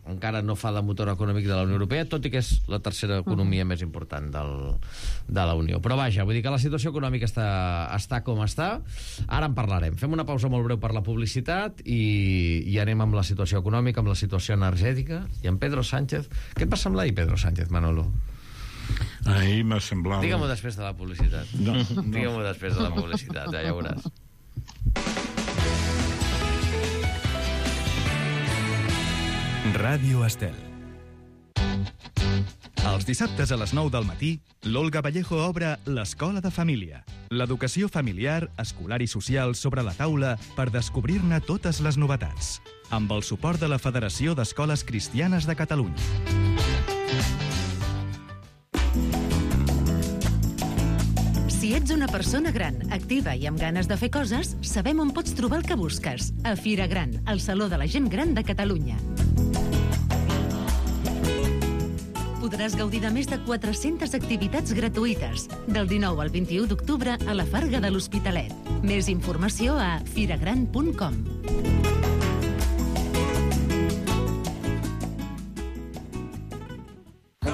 Speaker 1: encara no fa de motor econòmic de la Unió Europea, tot i que és la tercera economia més important de la Unió. Però vaja, vull dir que la situació econòmica està com està. Ara en parlarem. Fem una pausa molt breu per la publicitat i anem amb la situació econòmica, amb la situació energètica, i amb Pedro Sánchez. Què et va semblar ahir, Pedro Sánchez, Manolo?
Speaker 11: Ahir m'ha semblat...
Speaker 1: Digue-m'ho després de la publicitat.
Speaker 11: No.
Speaker 1: Digue-m'ho després de la publicitat, ja veuràs.
Speaker 9: Ràdio Estel. Els dissabtes a les 9 del matí, l'Olga Vallejo obre l'Escola de Família. L'educació familiar, escolar i social sobre la taula per descobrir-ne totes les novetats. Amb el suport de la Federació d'Escoles Cristianes de Catalunya.
Speaker 5: Si ets una persona gran, activa i amb ganes de fer coses, sabem on pots trobar el que busques. A Fira Gran, el Saló de la Gent Gran de Catalunya. Podràs gaudir de més de 400 activitats gratuïtes, del 19 al 21 d'octubre a la Farga de l'Hospitalet. Més informació a firagran.com.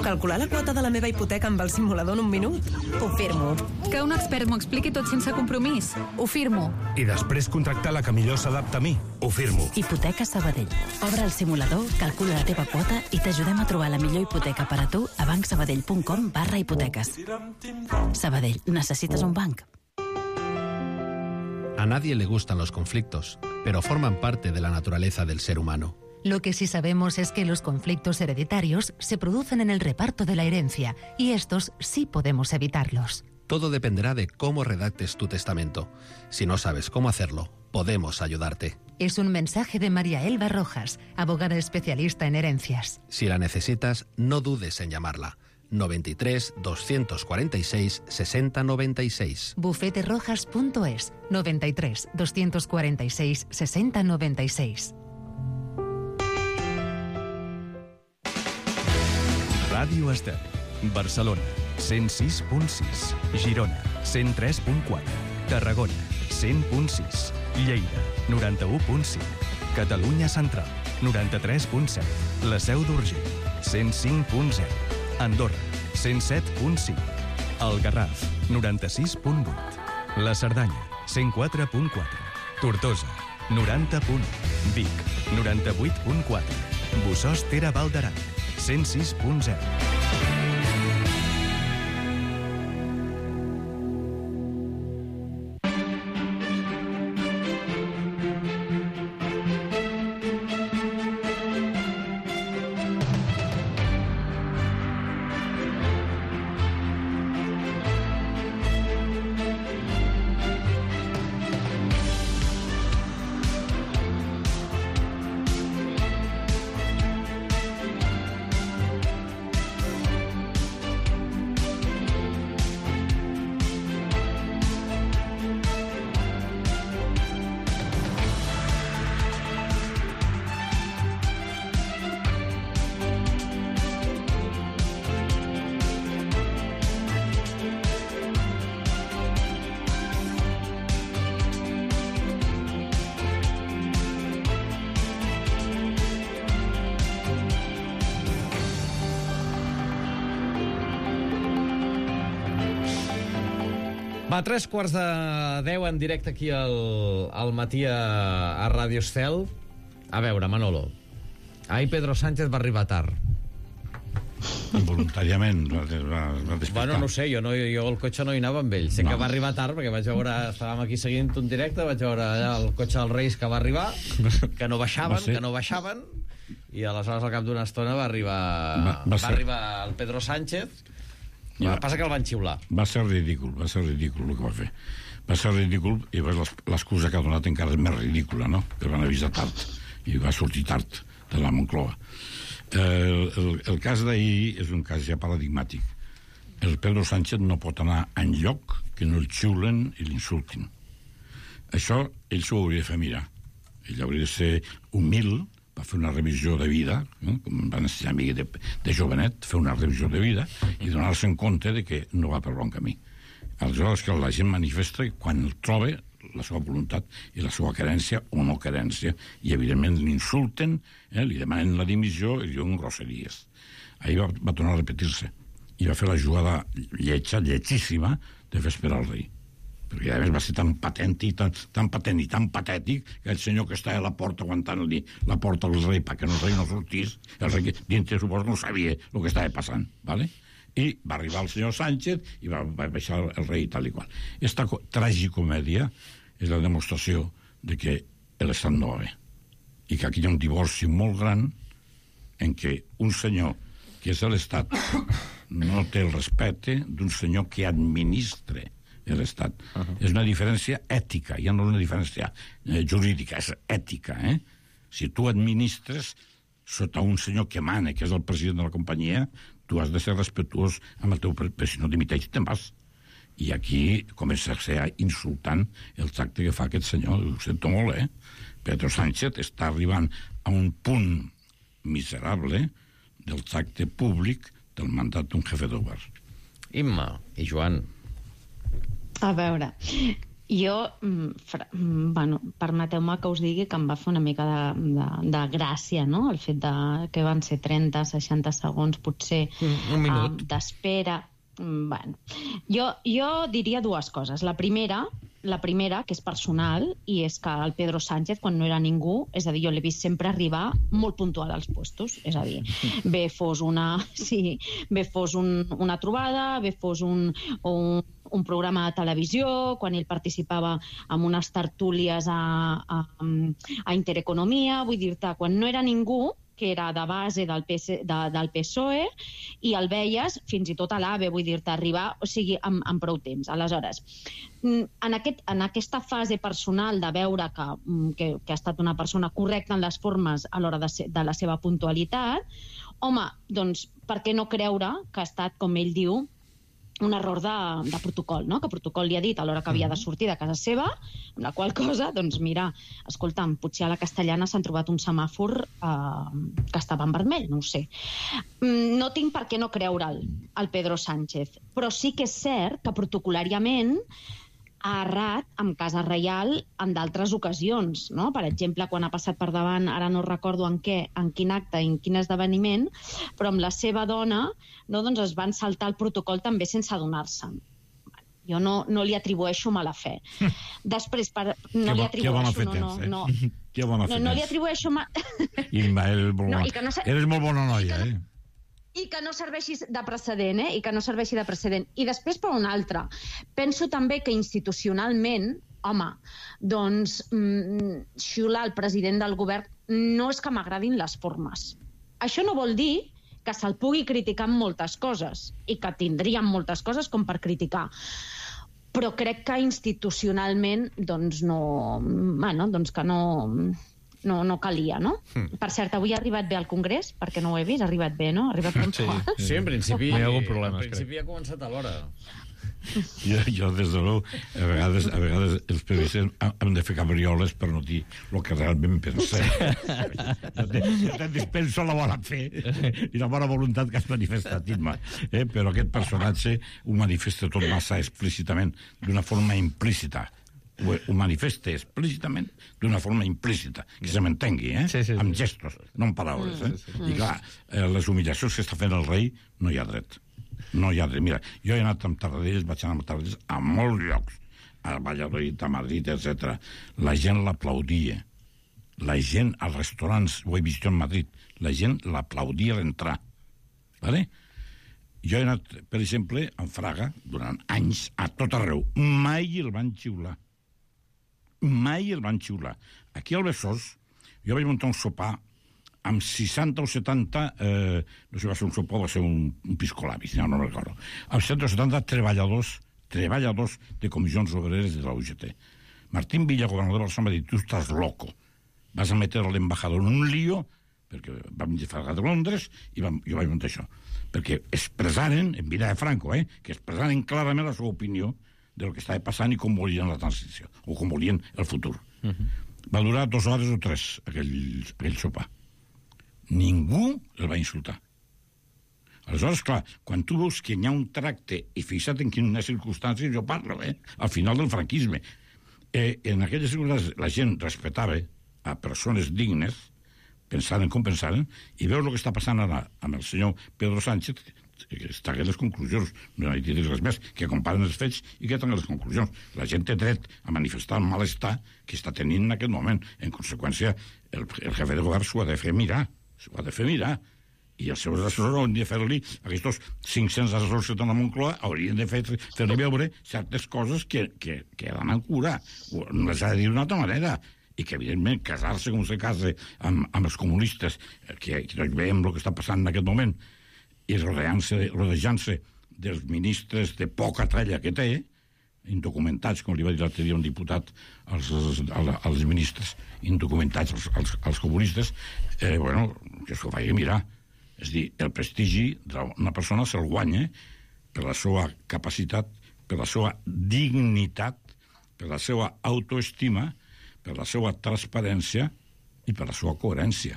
Speaker 13: Calcular la quota de la meva hipoteca amb el simulador en un minut? Ho firmo.
Speaker 14: Que un expert m'ho expliqui tot sense compromís? Ho firmo.
Speaker 15: I després contractar la que millor s'adapta a mi? Ho firmo.
Speaker 16: Hipoteca Sabadell. Obre el simulador, calcula la teva quota i t'ajudem a trobar la millor hipoteca per a tu a bancsabadell.com/hipoteques. Sabadell, necessites un banc?
Speaker 17: A nadie le gustan los conflictos, pero forman parte de la naturaleza del ser humano.
Speaker 5: Lo que sí sabemos es que los conflictos hereditarios se producen en el reparto de la herencia, y estos sí podemos evitarlos.
Speaker 17: Todo dependerá de cómo redactes tu testamento. Si no sabes cómo hacerlo, podemos ayudarte.
Speaker 5: Es un mensaje de María Elba Rojas, abogada especialista en herencias.
Speaker 17: Si la necesitas, no dudes en llamarla. 93 246 6096.
Speaker 5: Bufeterojas.es. 93 246 6096.
Speaker 9: Ràdio Estel. Barcelona, 106.6. Girona, 103.4. Tarragona, 100.6. Lleida, 91.5. Catalunya Central, 93.7. La Seu d'Urgell, 105.0. Andorra, 107.5. El Garraf, 96.8. La Cerdanya, 104.4. Tortosa, 90.1. Vic, 98.4. Bossòst Tere Val d'Aran, 106.0.
Speaker 1: Va, 9:03 en directe aquí al matí a Ràdio Estel. A veure, Manolo, ahir Pedro Sánchez va arribar tard.
Speaker 11: Involuntàriament va despertar.
Speaker 1: Bueno, no sé, jo al cotxe no hi anava amb ell. Sé que va arribar tard, perquè vaig veure... Estàvem aquí seguint un directe, vaig veure allà el cotxe dels Reis que va arribar, que no baixaven, i aleshores al cap d'una estona va arribar el Pedro Sánchez. Passa que el van xiular.
Speaker 11: Va ser ridícul el que va fer. Va ser ridícul, i l'excusa que ha donat encara és més ridícula, no? Que el van avisar tard, i va sortir tard de la Moncloa. El cas d'ahir és un cas ja paradigmàtic. El Pedro Sánchez no pot anar enlloc que no el xiulen i l'insultin. Això ell s'ho hauria de fer mirar. Ell hauria de ser humil, va fer una revisió de vida, com van ensenyar a mi de jovenet, fer una revisió de vida i donar-se en compte de que no va per bon camí. Aleshores que la gent manifesta quan el troba la seva voluntat i la seva querència o no querència, i evidentment l'insulten, li demanen la dimissió i diuen grosseries. Ahir va tornar a repetir-se i va fer la jugada lletjíssima de fer esperar el rei, perquè a més va ser tan patent i tan patètic que el senyor que està a la porta aguantant-li la porta al rei perquè el rei no sortís, el rei dintre suposo no sabia el que estava passant, ¿vale? I va arribar el senyor Sánchez i va baixar el rei tal i qual. Esta tragicomèdia és la demostració de que l'Estat no va bé i que aquí hi ha un divorci molt gran en què un senyor que és l'Estat no té el respecte d'un senyor que administra l'Estat. És una diferència ètica, ja no és una diferència jurídica, és ètica. Si tu administres sota un senyor que mana, que és el president de la companyia, tu has de ser respectuós amb el teu... Però si no dimiteix, te'n vas. I aquí comença a ser insultant el tracte que fa aquest senyor. Ho sento molt, Pedro Sánchez està arribant a un punt miserable del tracte públic del mandat d'un jefe de govern.
Speaker 1: Imma i Joan.
Speaker 12: A veure, jo, permeteu-me que us digui que em va fer una mica de gràcia, no?, el fet que van ser 30-60 segons, potser,
Speaker 1: un minut
Speaker 12: d'espera. Bueno, jo diria dues coses. La primera, que és personal, i és que el Pedro Sánchez, quan no era ningú, és a dir, jo l'he vist sempre arribar molt puntual als puestos, és a dir, bé fos una trobada, bé fos un programa de televisió, quan ell participava en unes tertúlies a Intereconomia, vull dir-te, quan no era ningú, que era de base del PSOE, i el veies fins i tot a l'AVE, vull dir-te, arribar, o sigui, en prou temps. Aleshores, en aquesta fase personal de veure que ha estat una persona correcta en les formes a l'hora de la seva puntualitat, home, doncs, per què no creure que ha estat, com ell diu, un error de protocol, no? Que protocol li ha dit a l'hora que havia de sortir de casa seva, amb la qual cosa, doncs mira, escolta'm, potser a la Castellana s'han trobat un semàfor que estava en vermell, no ho sé. No tinc per què no creure'l, el Pedro Sánchez, però sí que és cert que protocolàriament ha errat amb Casa Reial en d'altres ocasions, no? Per exemple, quan ha passat per davant, ara no recordo en quin acte i en quin esdeveniment, però amb la seva dona, no, doncs es van saltar el protocol també sense adonar-se. Jo no li atribueixo mala fe. Després, no li atribueixo... No li atribueixo...
Speaker 11: Imma, eres molt bona noia,
Speaker 12: I que no serveixi de precedent, I que no serveixi de precedent. I després, per un altre, penso també que institucionalment, home, doncs, xiular el president del govern no és que m'agradin les formes. Això no vol dir que se'l pugui criticar en moltes coses, i que tindríem moltes coses com per criticar. Però crec que institucionalment, doncs, no... Bueno, doncs que no calia, no? Per cert, avui ha arribat bé al Congrés, perquè no ho he vist, ha arribat bé, no? Ha arribat puntual.
Speaker 1: Sí, en principi
Speaker 10: hi ha algun problema,
Speaker 1: en principi ha començat a l'hora.
Speaker 11: Jo, des de nou, a vegades els periodistes hem de fer cabrioles per no dir el que realment pensem. Jo te dispenso la bona fe i la bona voluntat que has manifestat, Imma. Però aquest personatge ho manifesta tot massa explícitament, d'una forma implícita. Ho manifesta explícitament d'una forma implícita, que se m'entengui, amb gestos, no amb paraules. I clar, les humiliacions que està fent el rei no hi ha dret. No hi ha dret. Mira, jo he anat amb Tarradellas, vaig anar amb Tarradellas a molts llocs, a Valladolid, a Madrid, etc. La gent l'aplaudia. La gent als restaurants, ho he vist jo en Madrid, la gent l'aplaudia a l'entrar. Vale? Jo he anat, per exemple, a Fraga, durant anys, a tot arreu. Mai el van xiular. Mai el van xiular. Aquí al Besòs, jo vaig muntar un sopar amb 60 o 70, no sé si va ser un sopar o va ser un piscolabis, no recordo, amb 60 o 70 treballadors de comissions obreres de la UGT. Martín Villa, governador de Barcelona, va dir, tu estàs loco, vas a meter l'embajador en un lío, perquè vam llegar de Londres i jo vaig muntar això, perquè expressaren, en vida de Franco, que expressaren clarament la seva opinió del que estava passant i com volien la transició, o com volien el futur. Va durar 2 hores o 3, aquell sopar. Ningú el va insultar. Aleshores, clar, quan tu veus que hi ha un tracte, i fixa't en quines circumstàncies jo parlo, al final del franquisme, en aquelles circumstàncies la gent respetava a persones dignes, pensaren com pensaren, i veus el que està passant ara amb el senyor Pedro Sánchez, que està a les conclusions, no hi ha dit res més, que comparen els fets i que tenen les conclusions. La gent té dret a manifestar el malestar que està tenint en aquest moment. En conseqüència, el jefe de govern s'ho ha de fer mirar, i els seus assessors haurien de fer-li, aquests 500 assessors que tenen a Moncloa haurien de fer-li veure certes coses que han a cura, no les ha de dir d'una altra manera, i que, evidentment, casar-se com se casa amb els comunistes, que tots veiem el que està passant en aquest moment, i rodejant-se dels ministres de poca tralla que té, indocumentats, com li va dir l'altre dia un diputat als ministres indocumentats, als comunistes, que s'ho faci mirar. És a dir, el prestigi d'una persona se'l guanya per la seva capacitat, per la seva dignitat, per la seva autoestima, per la seva transparència i per la seva coherència.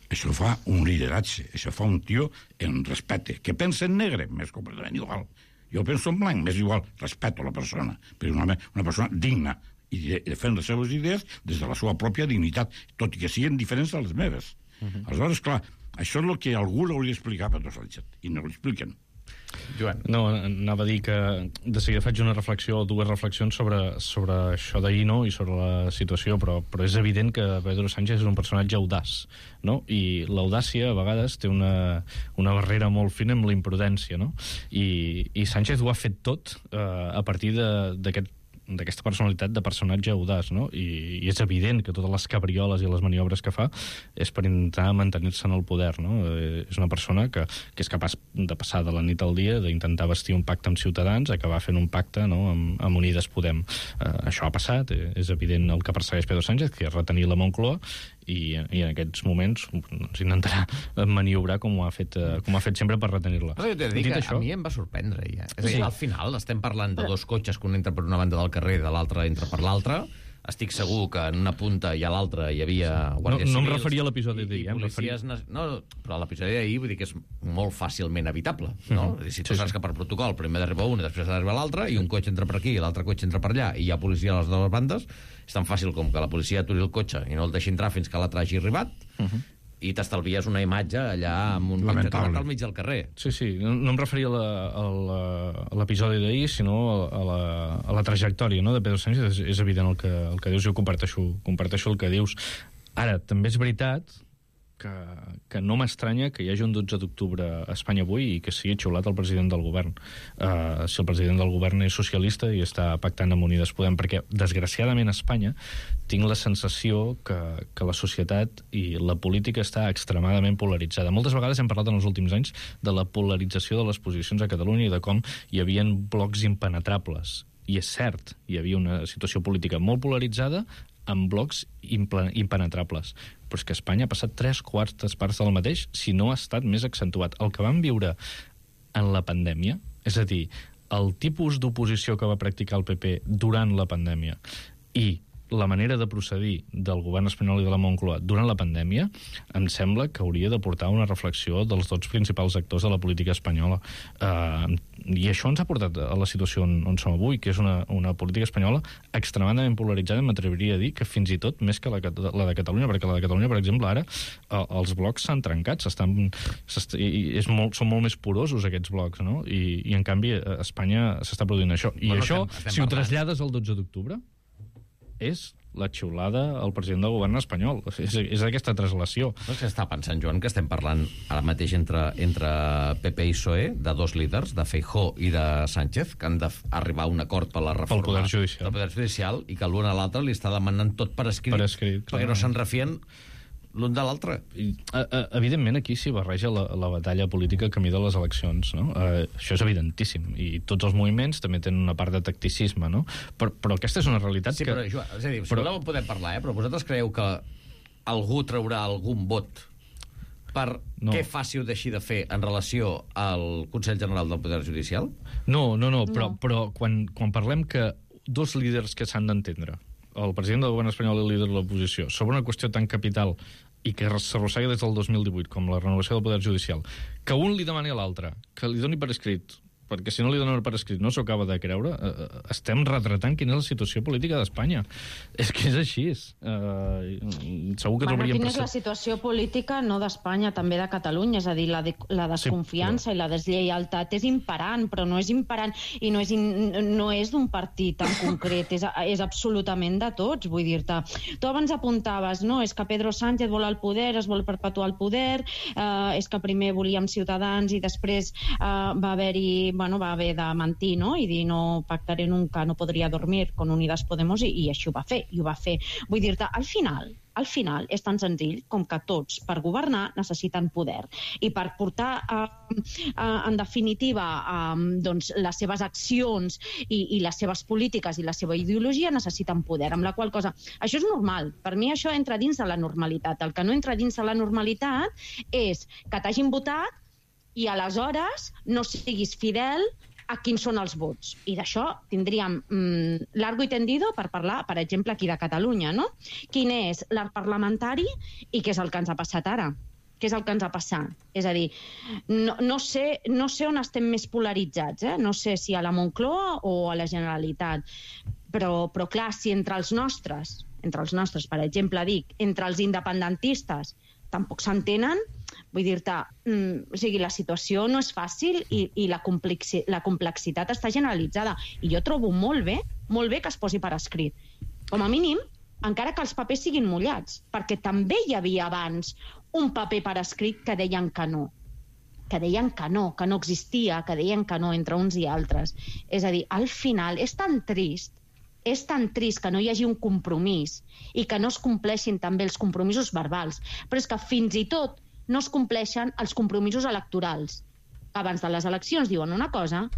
Speaker 11: Això fa un lideratge, això fa un tio en respecte, que pensa en negre, m'és completament igual. Jo penso en blanc, m'és igual, respeto la persona, però una persona digna i defèn les seves idees des de la seva pròpia dignitat, tot i que siguin diferents de les meves. Aleshores, clar, això és el que algú l'hauria d'explicar a Pedro Sánchez, i no l'expliquen.
Speaker 10: Joan. No, anava a dir que de seguida faig una reflexió o 2 reflexions sobre això d'ahir, no?, i sobre la situació, però és evident que Pedro Sánchez és un personatge audaç, no?, i l'audàcia a vegades té una barrera molt fina amb la imprudència, no?, i Sánchez ho ha fet tot a partir d'aquesta personalitat de personatge audaç, no? I és evident que totes les cabrioles i les maniobres que fa és per intentar mantenir-se en el poder, no? És una persona que és capaç de passar de la nit al dia, d'intentar vestir un pacte amb Ciutadans, acabar fent un pacte, no?, amb Unides Podem. Això ha passat, és evident el que persegueix Pedro Sánchez, que és retenir la Moncloa, i en aquests moments intentarà maniobrar com ho ha fet sempre per retenir-la.
Speaker 1: Però jo t'he de dir que a mi em va sorprendre, ja. És a dir, al final estem parlant de 2 cotxes que un entra per una banda del carrer i de l'altra entra per l'altra. Estic segur que en una punta i a l'altra hi havia guàrdies civils...
Speaker 10: No em referia a l'episodi d'ahir.
Speaker 1: No, però l'episodi d'ahir vull dir que és molt fàcilment evitable, no? Si tu saps que per protocol primer d'arribar un i després d'arribar l'altre, i un cotxe entra per aquí i l'altre cotxe entra per allà i hi ha policia a les dues bandes, és tan fàcil com que la policia aturi el cotxe i no el deixi entrar fins que l'altre hagi arribat, i t'estalvies una imatge allà amb un cotxe al mig del carrer.
Speaker 10: Sí, no em referia a l'episodi d'ahir, sinó a la trajectòria, no?, de Pedro Sánchez. És evident el que dius, jo comparteixo el que dius. Ara, també és veritat que no m'estranya que hi hagi un 12 d'octubre a Espanya avui i que sigui xiulat el president del govern. Si el president del govern és socialista i està pactant amb Unides Podem, perquè, desgraciadament, a Espanya tinc la sensació que la societat i la política està extremadament polaritzada. Moltes vegades hem parlat en els últims anys de la polarització de les posicions a Catalunya i de com hi havia blocs impenetrables. I és cert, hi havia una situació política molt polaritzada amb blocs impenetrables. Però és que Espanya ha passat 3/4 parts del mateix, si no ha estat més accentuat. El que vam viure en la pandèmia, és a dir, el tipus d'oposició que va practicar el PP durant la pandèmia i la manera de procedir del govern espanyol i de la Moncloa durant la pandèmia, em sembla que hauria de portar una reflexió dels 2 principals actors de la política espanyola. I això ens ha portat a la situació on som avui, que és una política espanyola extremadament polaritzada, m'atreviria a dir que fins i tot més que la de Catalunya, perquè la de Catalunya, per exemple, ara els blocs s'han trencat, són molt més porosos aquests blocs, no? I en canvi a Espanya s'està produint això. I això, si ho trasllades al 12 d'octubre, és la xiulada al president del govern espanyol. És aquesta translació.
Speaker 1: No és que està pensant, Joan, que estem parlant ara mateix entre PP i PSOE de dos líders, de Feijóo i de Sánchez, que han d'arribar a un acord per la reforma
Speaker 10: del Poder Judicial,
Speaker 1: i que l'un a l'altre li està demanant tot per escrit perquè no se'n refien l'un de l'altre.
Speaker 10: Evidentment, aquí s'hi barreja la batalla política a camí de les eleccions, no? Això és evidentíssim. I tots els moviments també tenen una part de tacticisme, no? Però aquesta és una realitat
Speaker 1: que... Però, Joan, és a dir, si voleu podem parlar, però vosaltres creieu que algú traurà algun vot per què faci o deixi de fer en relació al Consell General del Poder Judicial?
Speaker 10: No. Però quan parlem que dos líders que s'han d'entendre, el president del govern espanyol i el líder de l'oposició, sobre una qüestió tan capital i que s'arrossega des del 2018, com la renovació del Poder Judicial, que un li demani a l'altre que li doni per escrit, perquè si no li donen per escrit no s'ho acaba de creure, estem retratant quina és la situació política d'Espanya. És que és així. Segur que trobaríem...
Speaker 12: Quina és la situació política no d'Espanya, també de Catalunya, és a dir, la desconfiança i la deslleialtat és imperant, però no és imperant i no és d'un partit en concret, és absolutament de tots, vull dir-te. Tu abans apuntaves, no, és que Pedro Sánchez vol el poder, es vol perpetuar el poder, és que primer volíem Ciutadans i després va haver de mentir, no?, i dir no pactaré nunca, no podria dormir con Unidas Podemos, i així ho va fer, Vull dir-te, al final és tan senzill com que tots, per governar, necessiten poder. I per portar, en definitiva, doncs, les seves accions i les seves polítiques i la seva ideologia necessiten poder, amb la qual cosa... Això és normal. Per mi això entra dins de la normalitat. El que no entra dins de la normalitat és que t'hagin votat i aleshores no siguis fidel a quins són els vots. I d'això tindríem largo i tendido per parlar, per exemple, aquí de Catalunya, no? Quin és l'arc parlamentari i què és el que ens ha passat ara? Què és el que ens ha passat? És a dir, no sé on estem més polaritzats, no sé si a la Moncloa o a la Generalitat, però clar, si entre els nostres, per exemple, entre els independentistes, tampoc s'entenen, vull dir-te, o sigui, la situació no és fàcil i la complexitat està generalitzada. I jo trobo molt bé que es posi per escrit. Com a mínim, encara que els papers siguin mullats, perquè també hi havia abans un paper per escrit que deien que no. Que no existia, que deien que no entre uns i altres. És a dir, al final és tan trist que no hi hagi un compromís i que no es compleixin també els compromisos verbals, però és que fins i tot no es compleixen els compromisos electorals. Abans de les eleccions diuen una cosa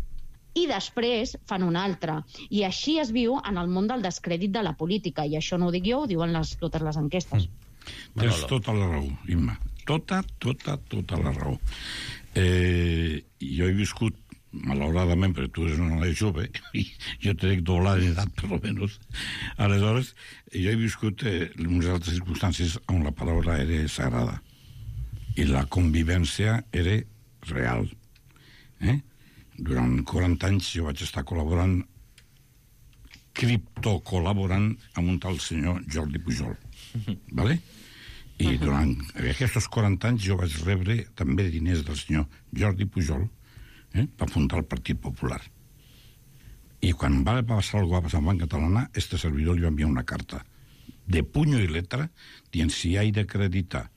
Speaker 12: i després fan una altra. I així es viu en el món del descrèdit de la política, i això no ho dic jo, ho diuen totes les enquestes.
Speaker 11: Tens tota la raó, Imma. Tota la raó. Jo he viscut, malauradament, perquè tu eres una noia jove, i jo te dic doblar d'edat, per almenys. Aleshores, jo he viscut unes altres circumstàncies on la paraula era sagrada i la convivència era real. Durant 40 anys jo vaig estar col·laborant, criptocol·laborant amb un tal senyor Jordi Pujol. Vale? I durant aquests 40 anys jo vaig rebre també diners del senyor Jordi Pujol per fundar el Partit Popular. I quan va passar el que va passar amb Banc Catalana, este servidor li va enviar una carta de puño i letra dient si ha d'acreditar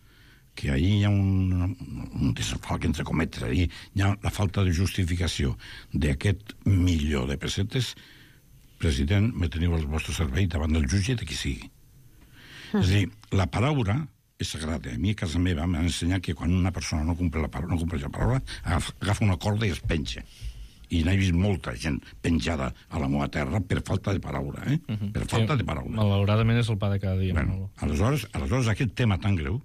Speaker 11: que ahir hi ha un desfalc entre cometes, ahir hi ha la falta de justificació d'aquest milió de pessetes, president, me teniu al vostre servei davant del jutge de qui sigui. És a dir, la paraula és sagrada. A mi a casa meva m'han ensenyat que quan una persona no compleix la paraula, agafa una corda i es penja. I n'he vist molta gent penjada a la meva terra per falta de paraula, per falta de paraula.
Speaker 10: Malauradament és el pa de cada dia.
Speaker 11: Bueno, aleshores aquest tema tan greu,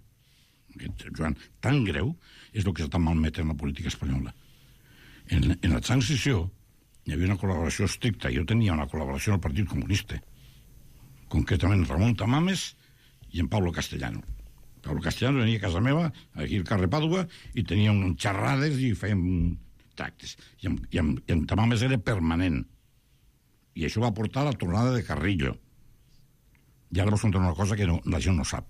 Speaker 11: Joan, tan greu, és el que està malmetent la política espanyola. En la transició hi havia una col·laboració estricta. Jo tenia una col·laboració al Partit Comunista, concretament Ramon Tamames i en Pablo Castellano. Pablo Castellano venia a casa meva, aquí al carrer Pàdua, i tenia unes xerrades i fèiem tractes. I en Tamames era permanent. I això va portar a la tornada de Carrillo. I ara vos contaré una cosa que la gent no sap.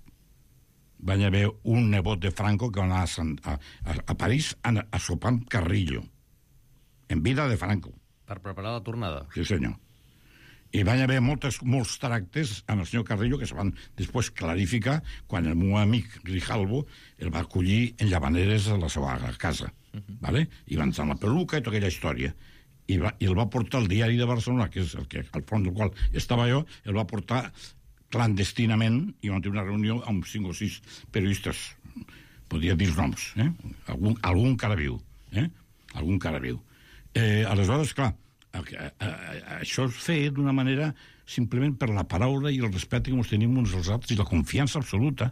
Speaker 11: Va haver un nebot de Franco que va anar a París a sopar amb Carrillo, en vida de Franco.
Speaker 1: Per preparar la tornada?
Speaker 11: Sí, senyor. I van haver molts tractes amb el senyor Carrillo que se van després clarificar quan el meu amic Grijalvo el va acollir en Llavaneres a la seva casa. ¿Vale? I van estar en la peluca i tota aquella història. I el va portar al Diari de Barcelona, que és el que, al front del qual estava jo, el va portar clandestinament i van tenir una reunió amb 5 o 6 periodistes. Podria dir els noms. Algun cara viu. Algun cara viu. Aleshores, clar, això es feia d'una manera simplement per la paraula i el respecte que ens tenim uns als altres i la confiança absoluta.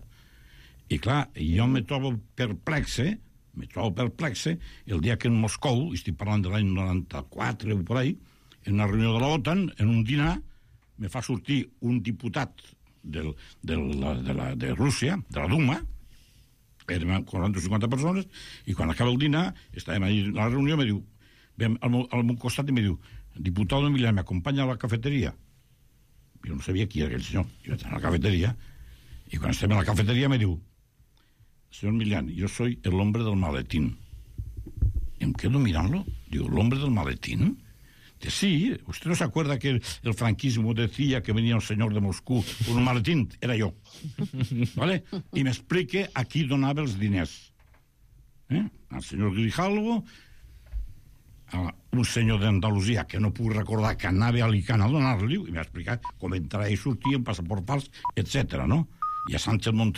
Speaker 11: I clar, jo me trobo perplexe el dia que en Moscou, estic parlant de l'any 94 o per ahí, en una reunió de l'OTAN, en un dinar, me fa sortir un diputat de Rússia, de la Duma, érem 40 o 50 persones, i quan acaba el dinar, estàvem allà a la reunió, me diu, al meu costat i me diu, diputado Milián, ¿me acompaña a la cafetería? Jo no sabia qui era aquell senyor. Jo vaig a la cafeteria, i quan estem a la cafeteria me diu, señor Milián, yo soy el hombre del maletín. Y me quedo mirando, digo, ¿el hombre del maletín? Dice, sí, ¿usted no se acuerda que el franquismo decía que venía un señor de Moscú con un maletín? Era yo. ¿Vale? Y me explique a qui donava els diners. Al senyor Grijalvo, a un senyor d'Andalusia que no puc recordar que anava a Alicant a donar-li, i m'ha explicat com entrar i sortir en passaport fals, etc. no? I a Sánchez Montero